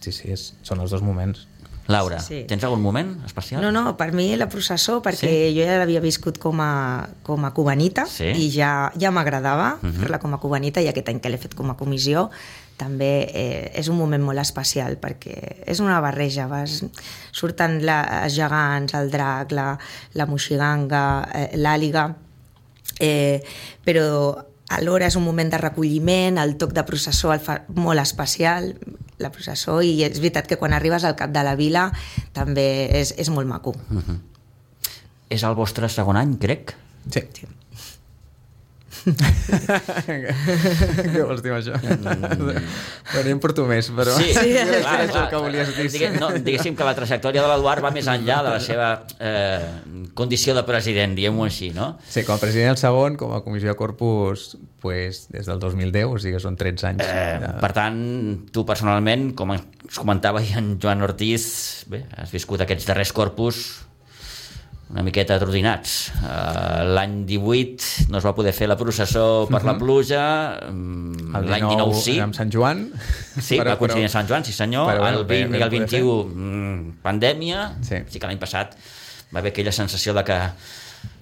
sí, sí, és, són els dos moments. Laura, sí. tens algun moment especial? No, no, per mi la processó, perquè sí? jo ja l'havia viscut com a, com a cubanita sí? i ja, ja m'agradava uh-huh. fer-la com a cubanita, i aquest any que l'he fet com a comissió també eh, és un moment molt especial perquè és una barreja, vas, surten la, els gegants, el drac, la, la moixiganga, eh, l'àliga, eh, però alhora és un moment de recolliment, el toc de processó el fa molt especial, la processó, i és veritat que quan arribes al cap de la vila també és, és molt maco. Uh-huh. És el vostre segon any, crec? Sí. sí. Què vols dir amb això? Mm. Bueno, em porto més, però... Sí, sí. Clar, clar, clar, que volies dir. Digue, no, diguéssim que la trajectòria de l'Eduard va més enllà de la seva eh, condició de president, diguem-ho així, no? Sí, com a president el segon, com a comissió de Corpus, pues, des del dos mil deu, o sigui que són tretze anys. Eh, ja. Per tant, tu personalment, com ens comentava ja en Joan Ortiz, bé, has viscut aquests darrers Corpus una miqueta atrodinats. Uh, l'any divuit no es va poder fer la processó per uh-huh. la pluja, um, l'any dinou sí. Amb Sant Joan. Sí, però, va coincidir amb Sant Joan, sí senyor. Però, bueno, el vint bé, i el vint-i-u, mm, pandèmia. Sí. sí que l'any passat va haver aquella sensació de que...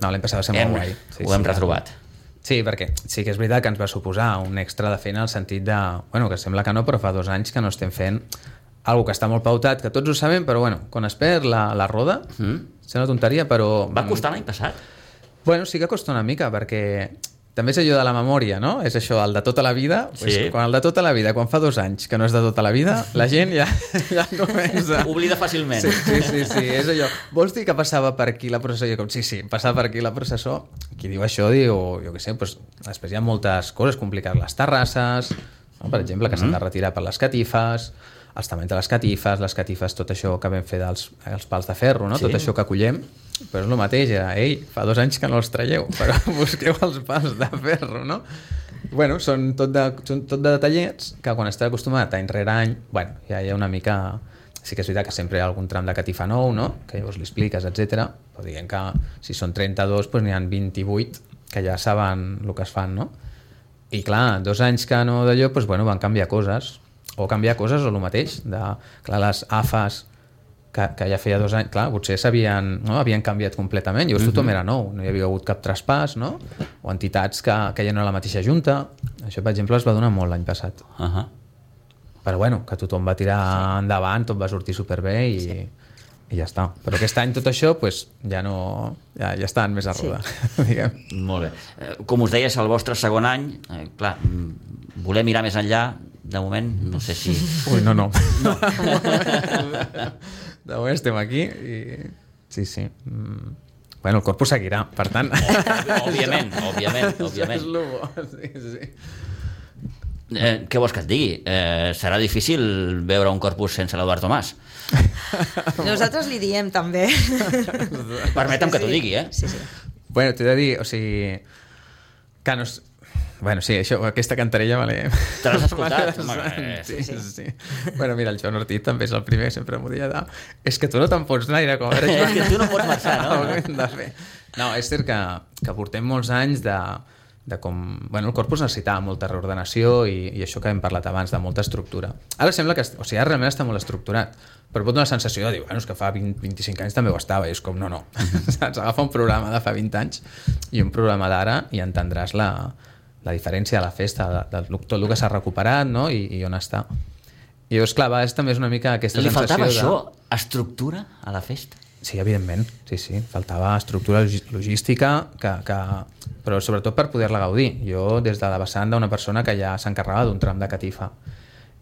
No, l'any passat va ser molt guai. Sí, ho hem sí, retrobat. Sí, perquè sí que és veritat que ens va suposar un extra de feina al sentit de... Bueno, que sembla que no, però fa dos anys que no estem fent algo que està molt pautat, que tots ho sabem, però bueno, quan es perd la, la roda, mm. sembla una tonteria, però... Va costar l'any passat? Bueno, sí que costa una mica, perquè també és allò de la memòria, no? És això, el de tota la vida. Pues, sí. Quan el de tota la vida, quan fa dos anys que no és de tota la vida, la gent ja, ja comença... Oblida fàcilment. Sí, sí, sí, sí, és allò. Vols dir que passava per aquí la processó? Jo com, sí, sí, passava per aquí la processó. Qui diu això, diu, jo què sé, pues, després hi ha moltes coses complicades. Les terrasses, no? Per exemple, que s'han de retirar per les catifes, els tamanys de les catifes, les catifes, tot això que vam fer dels els pals de ferro, no? Sí. Tot això que collem, però és el mateix, ja. Ei, fa dos anys que no els traieu, però busqueu els pals de ferro, no? Bueno, són tot de, són tot de detallets que quan estàs acostumat any rere any, bueno, ja hi ha una mica... Sí que és veritat que sempre hi ha algun tram de catifa nou, no? Que llavors li expliques, etcètera. Però diguem que si són trenta-dos, doncs n'hi ha vint-i-vuit que ja saben el que es fan, no? I clar, dos anys que no d'allò, doncs bueno, van canviar coses, o canviar coses o el mateix, de, clar, les A F As que, que ja feia dos anys, clar, potser s'havien, no? havien canviat completament, llavors uh-huh. tothom era nou, no hi havia hagut cap traspàs, no? O entitats que, que ja no era la mateixa junta, això per exemple es va donar molt l'any passat. Uh-huh. Però bueno, que tothom va tirar sí. endavant, tot va sortir superbé i, sí. i ja està. Però aquest any tot això pues, ja no, ja, ja estan més a roda, sí. diguem. Molt bé. Com us deies, el vostre segon any, eh, clar, voler mirar més enllà. De moment, no sé si... Ui, no, no. no. De moment estem aquí i... Sí, sí. Mm. Bueno, el Corpus seguirà, per tant... Òbviament, òbviament, òbviament. És el bo, sí, sí. Eh, què vols que et digui? Eh, serà difícil veure un Corpus sense l'Eduard Tomàs. Nosaltres li diem, també. Permetem sí, que t'ho digui, eh? Sí, sí. Bueno, t'he de dir, o sigui... Que no... Bueno, sí, això, aquesta cantarella vale. Te l'has escoltat? Vale. Sí, sí, sí. Bueno, mira, el Joan Ortiz també és el primer, sempre m'ho deia de... És que tu no te'n pots anar, era com... Era és que tu no pots marxar, no? De fer. No, és cert que, que portem molts anys de, de com... Bueno, el Corpus necessitava molta reordenació i, i això que hem parlat abans, de molta estructura. Ara sembla que... O sigui, ara realment està molt estructurat, però pot donar la sensació de dir, bueno, és que fa vint, vint-i-cinc anys també ho estava, i és com, no, no. Saps? Agafa un programa de fa vint anys i un programa d'ara i entendràs la... la diferència de la festa, de, de, de tot el que s'ha recuperat, no? I, i on està. I llavors, clar, va, és també és una mica aquesta Li sensació de... Li faltava això, estructura a la festa? Sí, evidentment, sí, sí. Faltava estructura logística, que, que... però sobretot per poder-la gaudir. Jo, des de la vessant d'una persona que ja s'encarregava d'un tram de catifa,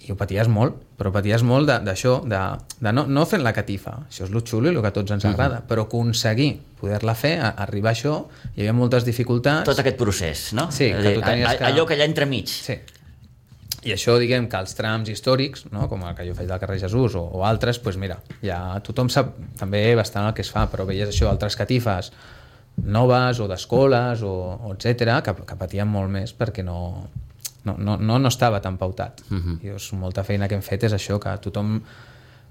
i ho paties molt, però paties molt d'això, de, de, de no, no fent la catifa, això és el xulo i el que a tots ens agrada, uh-huh. però aconseguir poder-la fer, a, arribar a això, hi havia moltes dificultats. Tot aquest procés, no? Sí, que tu tenies que... Allò que allà entremig. Sí. I això, diguem, que els trams històrics, no? Com el que jo faig del carrer Jesús o, o altres, doncs mira, ja tothom sap també bastant el que es fa, però veies això, altres catifes noves o d'escoles o, o etcètera, que, que patien molt més perquè no... no, no, no, no estava tan pautat. Uh-huh. I doncs, molta feina que hem fet és això, que tothom...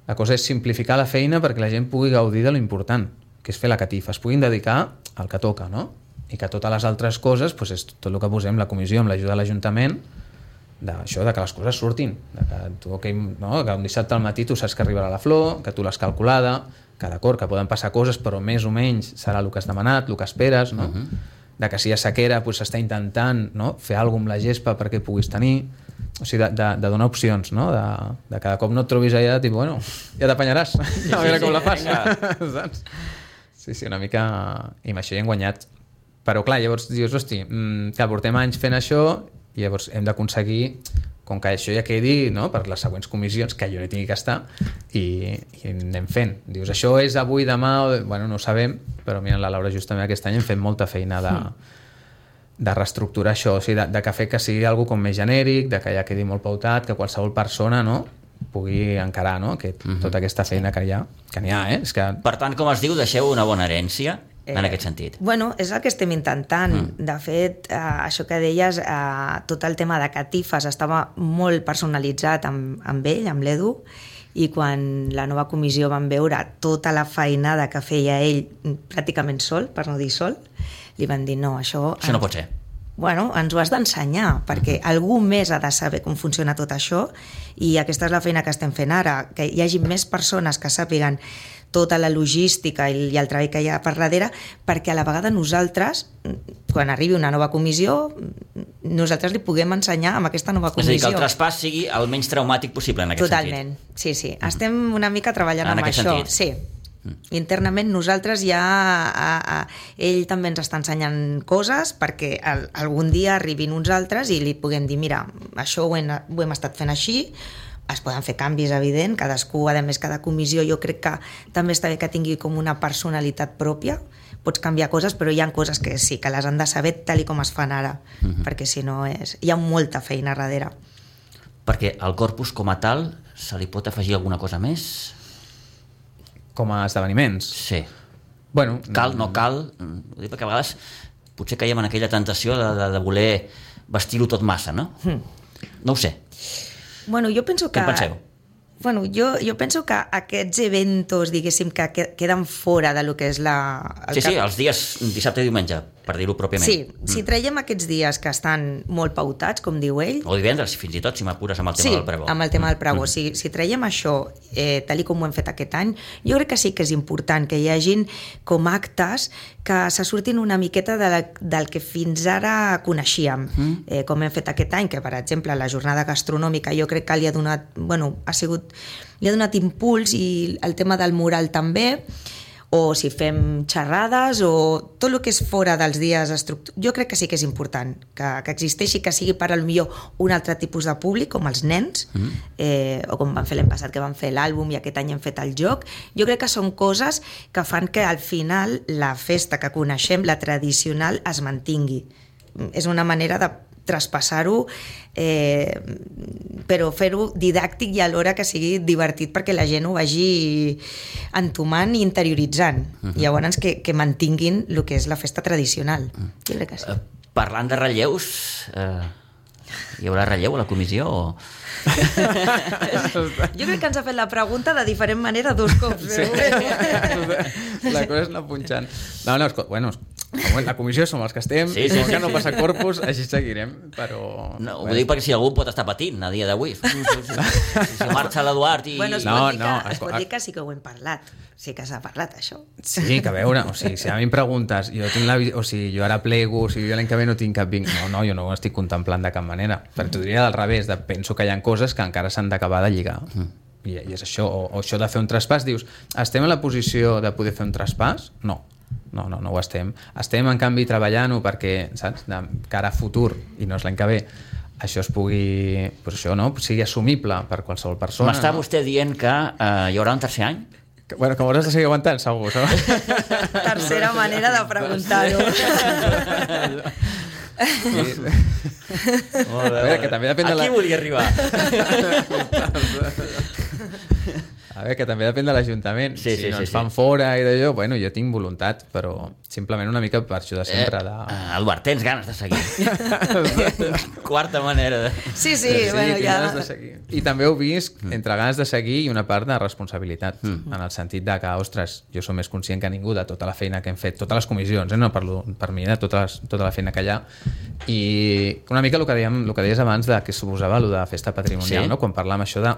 La cosa és simplificar la feina perquè la gent pugui gaudir de lo important, que és fer la catifa, es puguin dedicar al que toca, no? I que totes les altres coses, doncs és tot el que posem, la comissió amb l'ajuda de l'Ajuntament, d'això, de que les coses surtin, de que, tu, que, no? que un dissabte al matí tu saps que arribarà la flor, que tu l'has calculada, que d'acord, que poden passar coses, però més o menys serà el que has demanat, el que esperes, no? Uh-huh. De que si hi ha sequera doncs s'està intentant, no? Fer alguna amb la gespa perquè puguis tenir, o sigui, de, de, de donar opcions, no? De, de cada cop no et trobis allà, tipus, bueno, ja t'apanyaràs, sí, a veure sí, com sí, la fas. Saps? Sí, sí, una mica... I amb això hi hem guanyat. Però clar, llavors dius, hosti, que portem anys fent això i llavors hem d'aconseguir, com que això ja quedi, no? Per les següents comissions, que jo no hi tingui que estar, i, i anem fent. Dius, això és avui, demà, o... bueno, no ho sabem, però mira, la Laura justament aquest any hem fet molta feina de, de reestructurar això, o sigui, de, de que fer que sigui algo com més genèric, de que ja quedi molt pautat, que qualsevol persona, no?, pugui encarar, no?, Aquest, uh-huh. tota aquesta feina que hi ha, que n'hi ha, eh? És que... Per tant, com es diu, deixeu una bona herència en Eh, aquest sentit. Bueno, és el que estem intentant. Mm. De fet, eh, això que deies, eh, tot el tema de catifes estava molt personalitzat amb, amb ell, amb l'Edu, i quan la nova comissió van veure tota la feinada que feia ell pràcticament sol, per no dir sol, li van dir, no, això... Això no pot ser. Bueno, ens ho has d'ensenyar, perquè algú més ha de saber com funciona tot això, i aquesta és la feina que estem fent ara, que hi hagi més persones que sàpiguen tota la logística i el treball que hi ha per darrere, perquè a la vegada nosaltres, quan arribi una nova comissió, nosaltres li puguem ensenyar amb aquesta nova comissió. És a dir, que el traspàs sigui el menys traumàtic possible en aquest Totalment. sentit. Sí, sí. Estem una mica treballant en amb aquest això. sentit. Sí. Internament nosaltres ja a, a, ell també ens està ensenyant coses perquè el, algun dia arribin uns altres i li puguem dir, mira, això ho hem, ho hem estat fent així, es poden fer canvis, evident, cadascú, a més, cada comissió jo crec que també està bé que tingui com una personalitat pròpia, pots canviar coses, però hi ha coses que sí, que les han de saber tal i com es fan ara, uh-huh. perquè si no és... hi ha molta feina darrere. Perquè al corpus com a tal se li pot afegir alguna cosa més? Com a esdeveniments? Sí. Bueno, cal, no cal, ho dic perquè a vegades potser caiem en aquella tentació de, de, de voler vestir-ho tot massa, no? Mm. No ho sé. Bueno, jo penso que... Què en penseu? Bueno, jo, jo penso que aquests eventos, diguéssim, que queden fora de lo que és la... Sí, cap... sí, els dies dissabte i diumenge, per dir-ho pròpiament. Sí, mm. si traiem aquests dies que estan molt pautats, com diu ell... O divendres, fins i tot, si m'apures amb el tema sí, del pregó. Sí, amb el tema del pregó. Mm. Si, si traiem això, eh, tal i com ho hem fet aquest any, jo crec que sí que és important que hi hagin com actes que se surtin una miqueta de la, del que fins ara coneixíem. Mm. Eh, com hem fet aquest any, que per exemple la jornada gastronòmica jo crec que li ha donat, bueno, ha sigut, li ha donat impuls, i el tema del mural també, o si fem xerrades o tot el que és fora dels dies estructurats. Jo crec que sí que és important que, que existeixi, que sigui per potser un altre tipus de públic, com els nens, mm. eh, o com van fer l'any passat, que van fer l'àlbum i aquest any hem fet el joc. Jo crec que són coses que fan que al final la festa que coneixem, la tradicional, es mantingui. És una manera de traspassar-ho, eh, però fer-ho didàctic i alhora que sigui divertit perquè la gent ho vagi entomant i interioritzant. Uh-huh. I llavors que, que mantinguin el que és la festa tradicional. Uh-huh. Jo crec que sí. Uh, parlant de relleus, uh, hi haurà relleu a la comissió o...? Jo crec que ens ha fet la pregunta de diferent manera dos cops. Sí. La cosa és anar punxant. No, no, bueno, la comissió som els que estem, sí, sí, com que no passa corpus, així seguirem, però... No, ho dic perquè si algú pot estar patint a dia d'avui. Si, si marxa l'Eduard i... Bueno, es no, pot dir, no, que, es pot dir que sí que ho hem parlat. Sí que s'ha parlat, això. Sí, que a veure, o sigui, si a mi em preguntes, jo tinc la, o sigui, jo ara plego, o sigui, jo l'any que ve no tinc cap vinc... No, no, jo no ho estic contemplant de cap manera. Però t'ho diria al revés, de, penso que hi ha coses que encara s'han d'acabar de lligar. Mm. I, I és això, o, o això de fer un traspàs, dius, estem en la posició de poder fer un traspàs? No. No, no, no ho estem. Estem, en canvi, treballant-ho perquè, saps, de cara a futur, i no és l'any que ve, això es pugui, pues això, no?, sigui assumible per qualsevol persona. M'està no? vostè dient que uh, hi haurà un tercer any? Que, bueno, que m'hauràs de seguir aguantant, segur, saps? Tercera manera de preguntar-ho. Sí. Molt bé, que també depèn de la... Aquí volia arribar. A veure, que també depèn de l'Ajuntament. Sí, si sí, no sí, ens fan sí. fora i d'allò, bueno, jo tinc voluntat, però simplement una mica per això de sempre. De... Eh, Eduard, tens ganes de seguir. Quarta manera de... Sí, sí, sí, bueno, tinc ja... ganes de seguir. I també ho visc entre ganes de seguir i una part de responsabilitat, mm. en el sentit de que, ostres, jo som més conscient que ningú de tota la feina que hem fet, totes les comissions, eh? No parlo per mi, de tota, les, tota la feina que hi ha, i una mica el que, dèiem, el que deies abans de que suposava el de festa patrimonial, sí. no? Quan parlàvem això de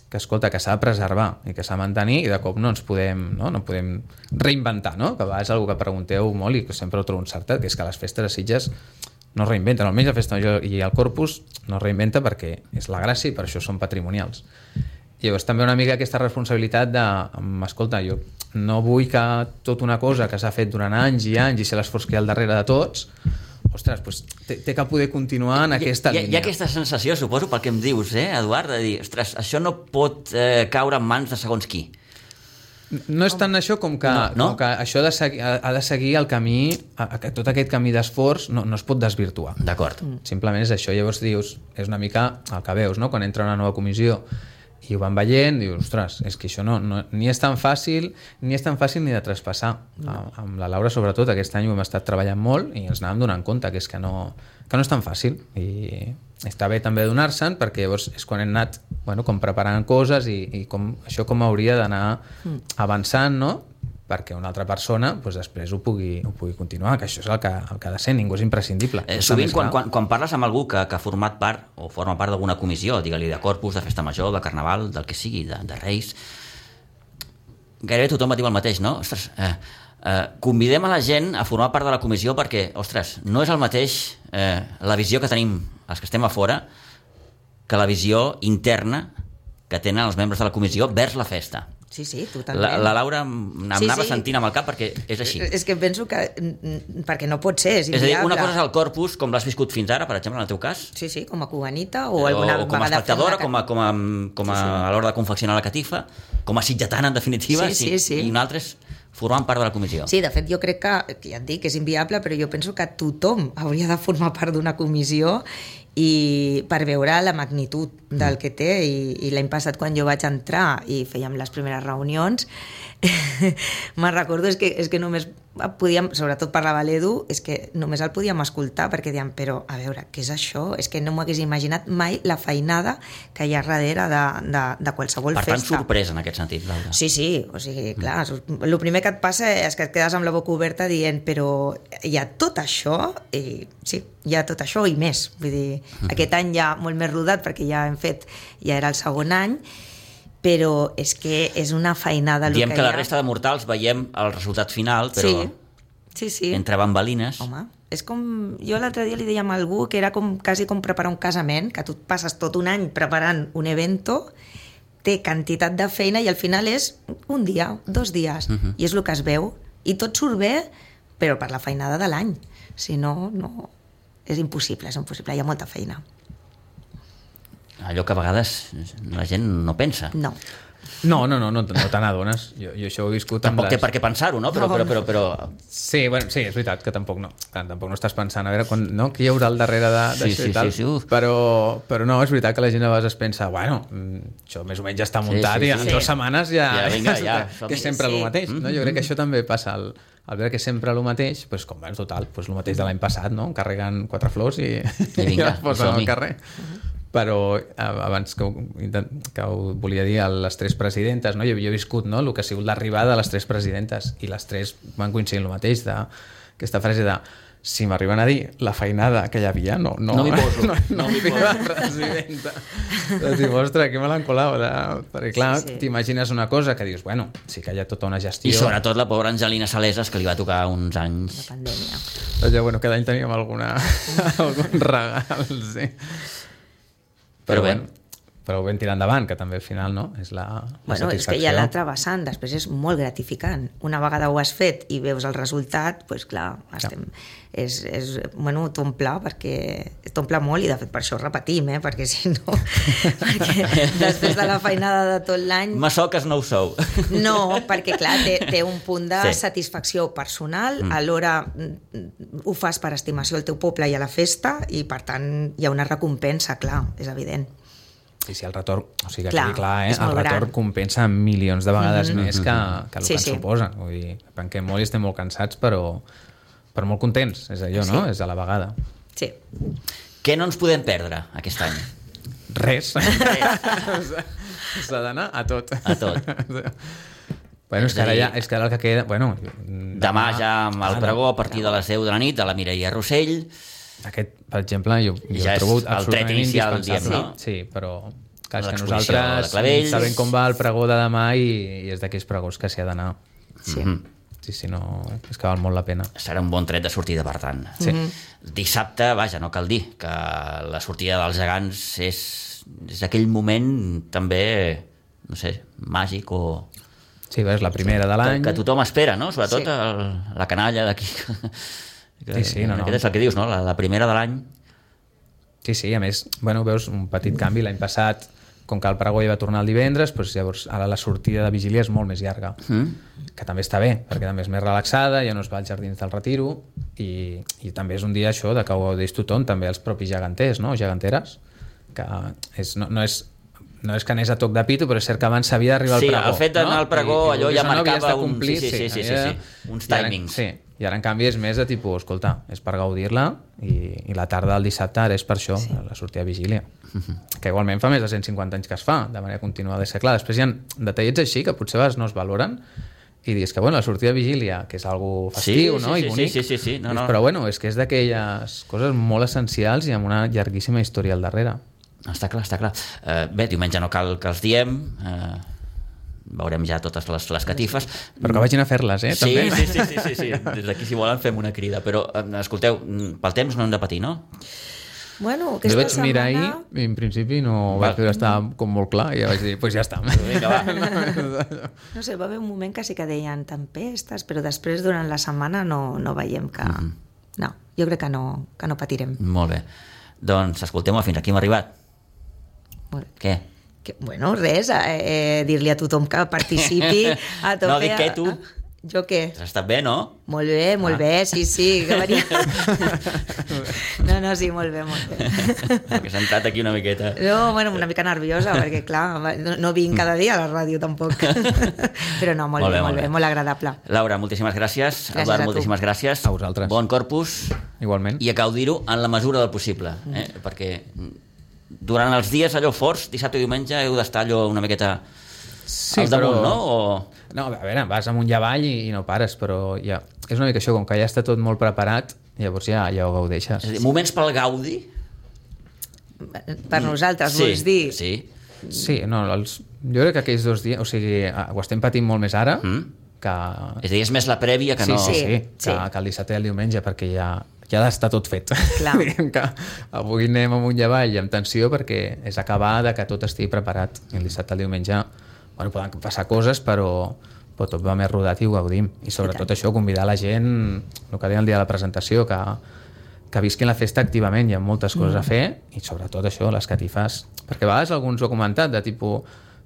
que, escolta, que s'ha de preservar i que s'ha de mantenir i de cop no ens podem, no? No podem reinventar, no? Que a vegades és una cosa que pregunteu molt i que sempre ho trobo encertat, que és que les festes de Sitges no es reinventen, almenys la Festa Major i el Corpus no es reinventa perquè és la gràcia i per això són patrimonials. I llavors també una mica aquesta responsabilitat de, escolta, jo no vull que tota una cosa que s'ha fet durant anys i anys i ser l'esforç que hi ha al darrere de tots, ostres, doncs té, té que poder continuar en aquesta hi, hi, línia. Hi ha aquesta sensació, suposo, pel que em dius, eh, Eduard, de dir, ostres, això no pot eh, caure en mans de segons qui. No és tant això com que, no, no? com que això de seguir, ha, ha de seguir el camí, a, a, tot aquest camí d'esforç no, no es pot desvirtuar. D'acord. Mm. Simplement és això, llavors dius, és una mica el que veus, no? Quan entra una nova comissió i ho van veient, dius, ostres, és que això no, no, ni és tan fàcil ni és tan fàcil ni de traspassar. No. Amb la Laura, sobretot, aquest any ho hem estat treballant molt i ens anàvem donant compte que és que no, que no és tan fàcil i està bé també donar-se'n perquè llavors és quan hem anat bueno, com preparant coses i, i com, això com hauria d'anar avançant, no? Perquè una altra persona doncs, després ho pugui, ho pugui continuar, que això és el que, el que ha de ser, ningú és imprescindible. Eh, sovint quan, quan, quan parles amb algú que, que ha format part o forma part d'alguna comissió, digue-li de Corpus, de Festa Major, de Carnaval, del que sigui, de, de Reis, gairebé tothom et diu el mateix, no? Ostres, eh, eh, convidem a la gent a formar part de la comissió perquè, ostres, no és el mateix eh, la visió que tenim els que estem a fora que la visió interna que tenen els membres de la comissió vers la festa. Sí, sí, totalment. La, la Laura m'anava sí, sí. sentint amb el cap perquè és així. És que penso que... perquè no pot ser, és inviable. És a dir, una cosa és el Corpus, com l'has viscut fins ara, per exemple, en el teu cas. Sí, sí, com a cubanita o alguna o com a espectadora, com a, com a, com a, sí, sí. a l'hora de confeccionar la catifa, com a sitgetana, en definitiva, sí, sí, sí. i un altre és formant part de la comissió. Sí, de fet, jo crec que, que ja et dic, és inviable, però jo penso que tothom hauria de formar part d'una comissió i per veure la magnitud del que té i, i l'any passat quan jo vaig entrar i fèiem les primeres reunions me'n recordo és que, és que només podíem, sobretot parlava l'Edu, és que només el podíem escoltar perquè dèiem, però a veure, què és això? És que no m'ho hagués imaginat mai la feinada que hi ha darrere de, de, de qualsevol per festa. Per tant, sorpresa en aquest sentit, Laura. Sí, sí, o sigui, clar, el primer que et passa és que et quedes amb la boca oberta dient, però hi ha tot això? I sí, hi ha tot això i més. Vull dir, uh-huh. Aquest any ja molt més rodat perquè ja hem fet, ja era el segon any, però és que és una feinada el Diem que, que hi ha. La resta de mortals veiem el resultat final, però sí, sí, sí. entre bambalines... Home, és com... Jo l'altre dia li deia a algú que era com, quasi com preparar un casament, que tu et passes tot un any preparant un evento, té quantitat de feina i al final és un dia, dos dies, uh-huh. i és el que es veu. I tot surt bé, però per la feinada de l'any. Si no, no... És impossible, és impossible, hi ha molta feina. Allò que a vegades la gent no pensa. No. No, no, no, no, no te n'adones. Jo, jo això ho he viscut amb Tampoc les... té per què pensar-ho, no? Però, però, però, però... Sí, bueno, sí, és veritat que tampoc no. Tampoc no estàs pensant, a veure, quan, no? Qui hi haurà al darrere d'això sí, sí, i tal. Sí, sí, però, però no, és veritat que la gent a vegades es pensa, bueno, això més o menys ja està muntat sí, sí, i en sí. dues setmanes ja... Ja, vinga, ja. Que és sempre sí. el mateix, no? Jo crec que això també passa al... Al veure que sempre el mateix, doncs com veus, total, doncs el mateix de l'any passat, no? Carreguen quatre flors i, I, vinga, i les posen al som-hi. carrer. Però abans que ho, que ho volia dir a les tres presidentes, no? jo, jo he viscut, no? El que ha sigut l'arribada de les tres presidentes i les tres van coincidir el mateix d'aquesta frase de si m'arriben a dir la feinada que hi havia, no, no, no m'hi poso, no, no, no m'hi poso la presidenta. Doncs dius, ostres, que me l'han colat, perquè clar, sí, sí. T'imagines una cosa que dius, bueno, sí que hi ha tota una gestió. I sobretot la pobra Angelina Saleses, que li va tocar uns anys. La pandèmia. Doncs ja, bueno, cada any teníem alguna, algun regal, sí. Però, però bé, bueno, però ho vam tirar endavant, que també al final no és la, la bueno, satisfacció. És que hi ha l'altre vessant, després és molt gratificant. Una vegada ho has fet i veus el resultat, doncs clar, estem, és, és, bueno, t'omple perquè t'omple molt i de fet per això repetim, eh? Perquè si no, perquè després de la feinada de tot l'any... Massoques no ho sou. No, perquè clar, té, té un punt de sí. satisfacció personal, mm. alhora ho fas per estimació al teu poble i a la festa i per tant hi ha una recompensa, clar, és evident. Sí, sí, el retorn, o sigui, que Clar, quedi clar, eh? és El molt retorn gran. compensa milions de vegades Mhm. més que, que el Sí, que sí. ens suposa. Vull dir, penquem molt i estem molt cansats, però, però molt contents, és allò, no? Sí. És a la vegada. Sí. Què no ens podem perdre aquest any? Res. S'ha d'anar a tot. A tot. Bueno, és És que a ara dir, ja, és que ara el que queda... Bueno, Demà ja amb el pregó a partir de les deu de la nit, a la Mireia Rossell. Aquest, per exemple, jo, jo Ja el és trobo el tret absolutament inicial, indispensable. diem, no? Sí, però clar, és que L'exposició de nosaltres Clavells. sabem com va el pregó de demà i, i és d'aquells pregons que s'hi ha d'anar. Sí. Mhm. Sí, sí, no, és que val molt la pena. Serà un bon tret de sortida, per tant. Sí. Dissabte, vaja, no cal dir que la sortida dels gegants és, és aquell moment també, no sé, màgic o... Sí, és la primera de que, l'any. que tothom espera, no? Sobretot Sí. el, la canalla d'aquí. Sí, sí, no, no. Aquest és el que dius, no? La, la primera de l'any. Sí, sí, a més, bueno, veus un petit canvi l'any passat, com que el pregó ja va tornar el divendres, doncs llavors ara la sortida de vigília és molt més llarga, Mm? que també està bé, perquè també és més relaxada, ja no es va als jardins del Retiro, i, i també és un dia això de que ho gaudeix tothom, també els propis geganters, no? Geganteres, que és, no, no és no és que anés a toc de pito, però és cert que abans s'havia d'arribar Sí, al pregó. el fet d'anar no? al pregó, I, i allò ja vulguis o no, havies marcava de un- complir, sí, sí, sí, sí, havia- sí, uns i ara- timings. Sí, i ara en canvi és més de tipus, escolta, és per gaudir-la i, i la tarda del dissabte ara és per això, sí. la sortida de vigília. Que igualment fa més de cent cinquanta anys que es fa, de manera continuada. És que, clar, després hi ha detallets així que potser a vegades no es valoren i dius que, bueno, la sortida de vigília, que és algo festiu, Sí, no? sí, I sí, bonic. sí, sí, sí, no, Dius, no. però, bueno, és que és d'aquelles coses molt essencials i amb una llarguíssima història al darrere. Està clar, està clar. Uh, bé, diumenge no cal que els diem, uh, veurem ja totes les, les catifes. Però que vagin a fer-les, eh? Sí, també. sí, sí, sí, sí, sí. Des d'aquí, si volen, fem una crida. Però, eh, escolteu, pel temps no hem de patir, no? Bueno, Jo aquesta vaig setmana... mirar ahir i en principi no Val. vaig veure, estava com molt clar i ja vaig dir, doncs pues ja està. Vinga, va. No sé, va haver un moment que sí que deien tempestes, però després durant la setmana no, no veiem que... Mm -hmm. No, jo crec que no, que no patirem. Molt bé. Doncs, escolteu-me, fins aquí hem arribat. Molt bé. Què? Que, bueno, res, eh, dir-li a tothom que participi a tope. No, dic què, tu? A, jo què? Has estat bé, no? Molt bé, molt Ah. bé, sí, sí, que venia... No, no, sí, molt bé, molt bé. Que s'ha entrat aquí una miqueta. No, bueno, una mica nerviosa, perquè clar, no, no vinc cada dia a la ràdio tampoc. Però no, molt, molt bé, molt bé, molt agradable. Laura, moltíssimes gràcies. Gràcies Eduard, a tu. moltíssimes gràcies. A vosaltres. Bon corpus. Igualment. I a gaudir-ho en la mesura del possible. Eh? Perquè durant els dies allò forts, dissabte i diumenge, heu d'estar allò una miqueta Sí, al damunt, però- no? O... No, a veure, vas amunt i avall i, i no pares, però ja, és una mica això, com que ja està tot molt preparat, llavors ja, ja ho gaudeixes. És a dir, moments pel gaudi? Per nosaltres, Sí, vols dir? sí. Sí, no, els, jo crec que aquells dos dies, o sigui, ah, ho estem patint molt més ara, Mm. que... És a dir, és més la prèvia que sí, no... sí, sí, Sí, que, sí. que el dissabte i el diumenge, perquè ja, ja està tot fet. Clar. Diguem que avui anem amunt i avall i amb tensió perquè és acabar de que tot estigui preparat. I el dissabte i el diumenge, bueno, poden passar coses, però, però tot va més rodat i ho gaudim. I sobretot això, convidar la gent, el que deia el dia de la presentació, que, que visquin la festa activament, hi ha moltes coses Mm. a fer, i sobretot això, les catifes. Perquè a vegades alguns ho ha comentat, de tipus,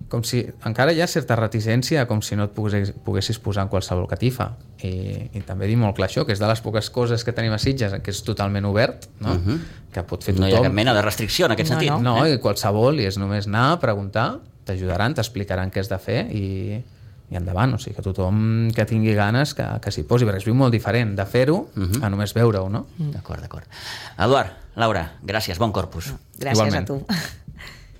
com si encara hi ha certa reticència, com si no et poguessis, poguessis posar en qualsevol catifa. I, I també dir molt clar això, que és de les poques coses que tenim a Sitges, que és totalment obert, no? Mhm. Que pot fer No tothom. hi ha cap mena de restricció en aquest No, sentit. No, eh? i qualsevol, i és només anar, preguntar, t'ajudaran, t'explicaran què has de fer i, i endavant. O sigui, que tothom que tingui ganes que, que s'hi posi, perquè es viu molt diferent de fer-ho Mhm. a només veure-ho, no? D'acord, d'acord. Eduard, Laura, gràcies, bon corpus. Gràcies Igualment. a tu.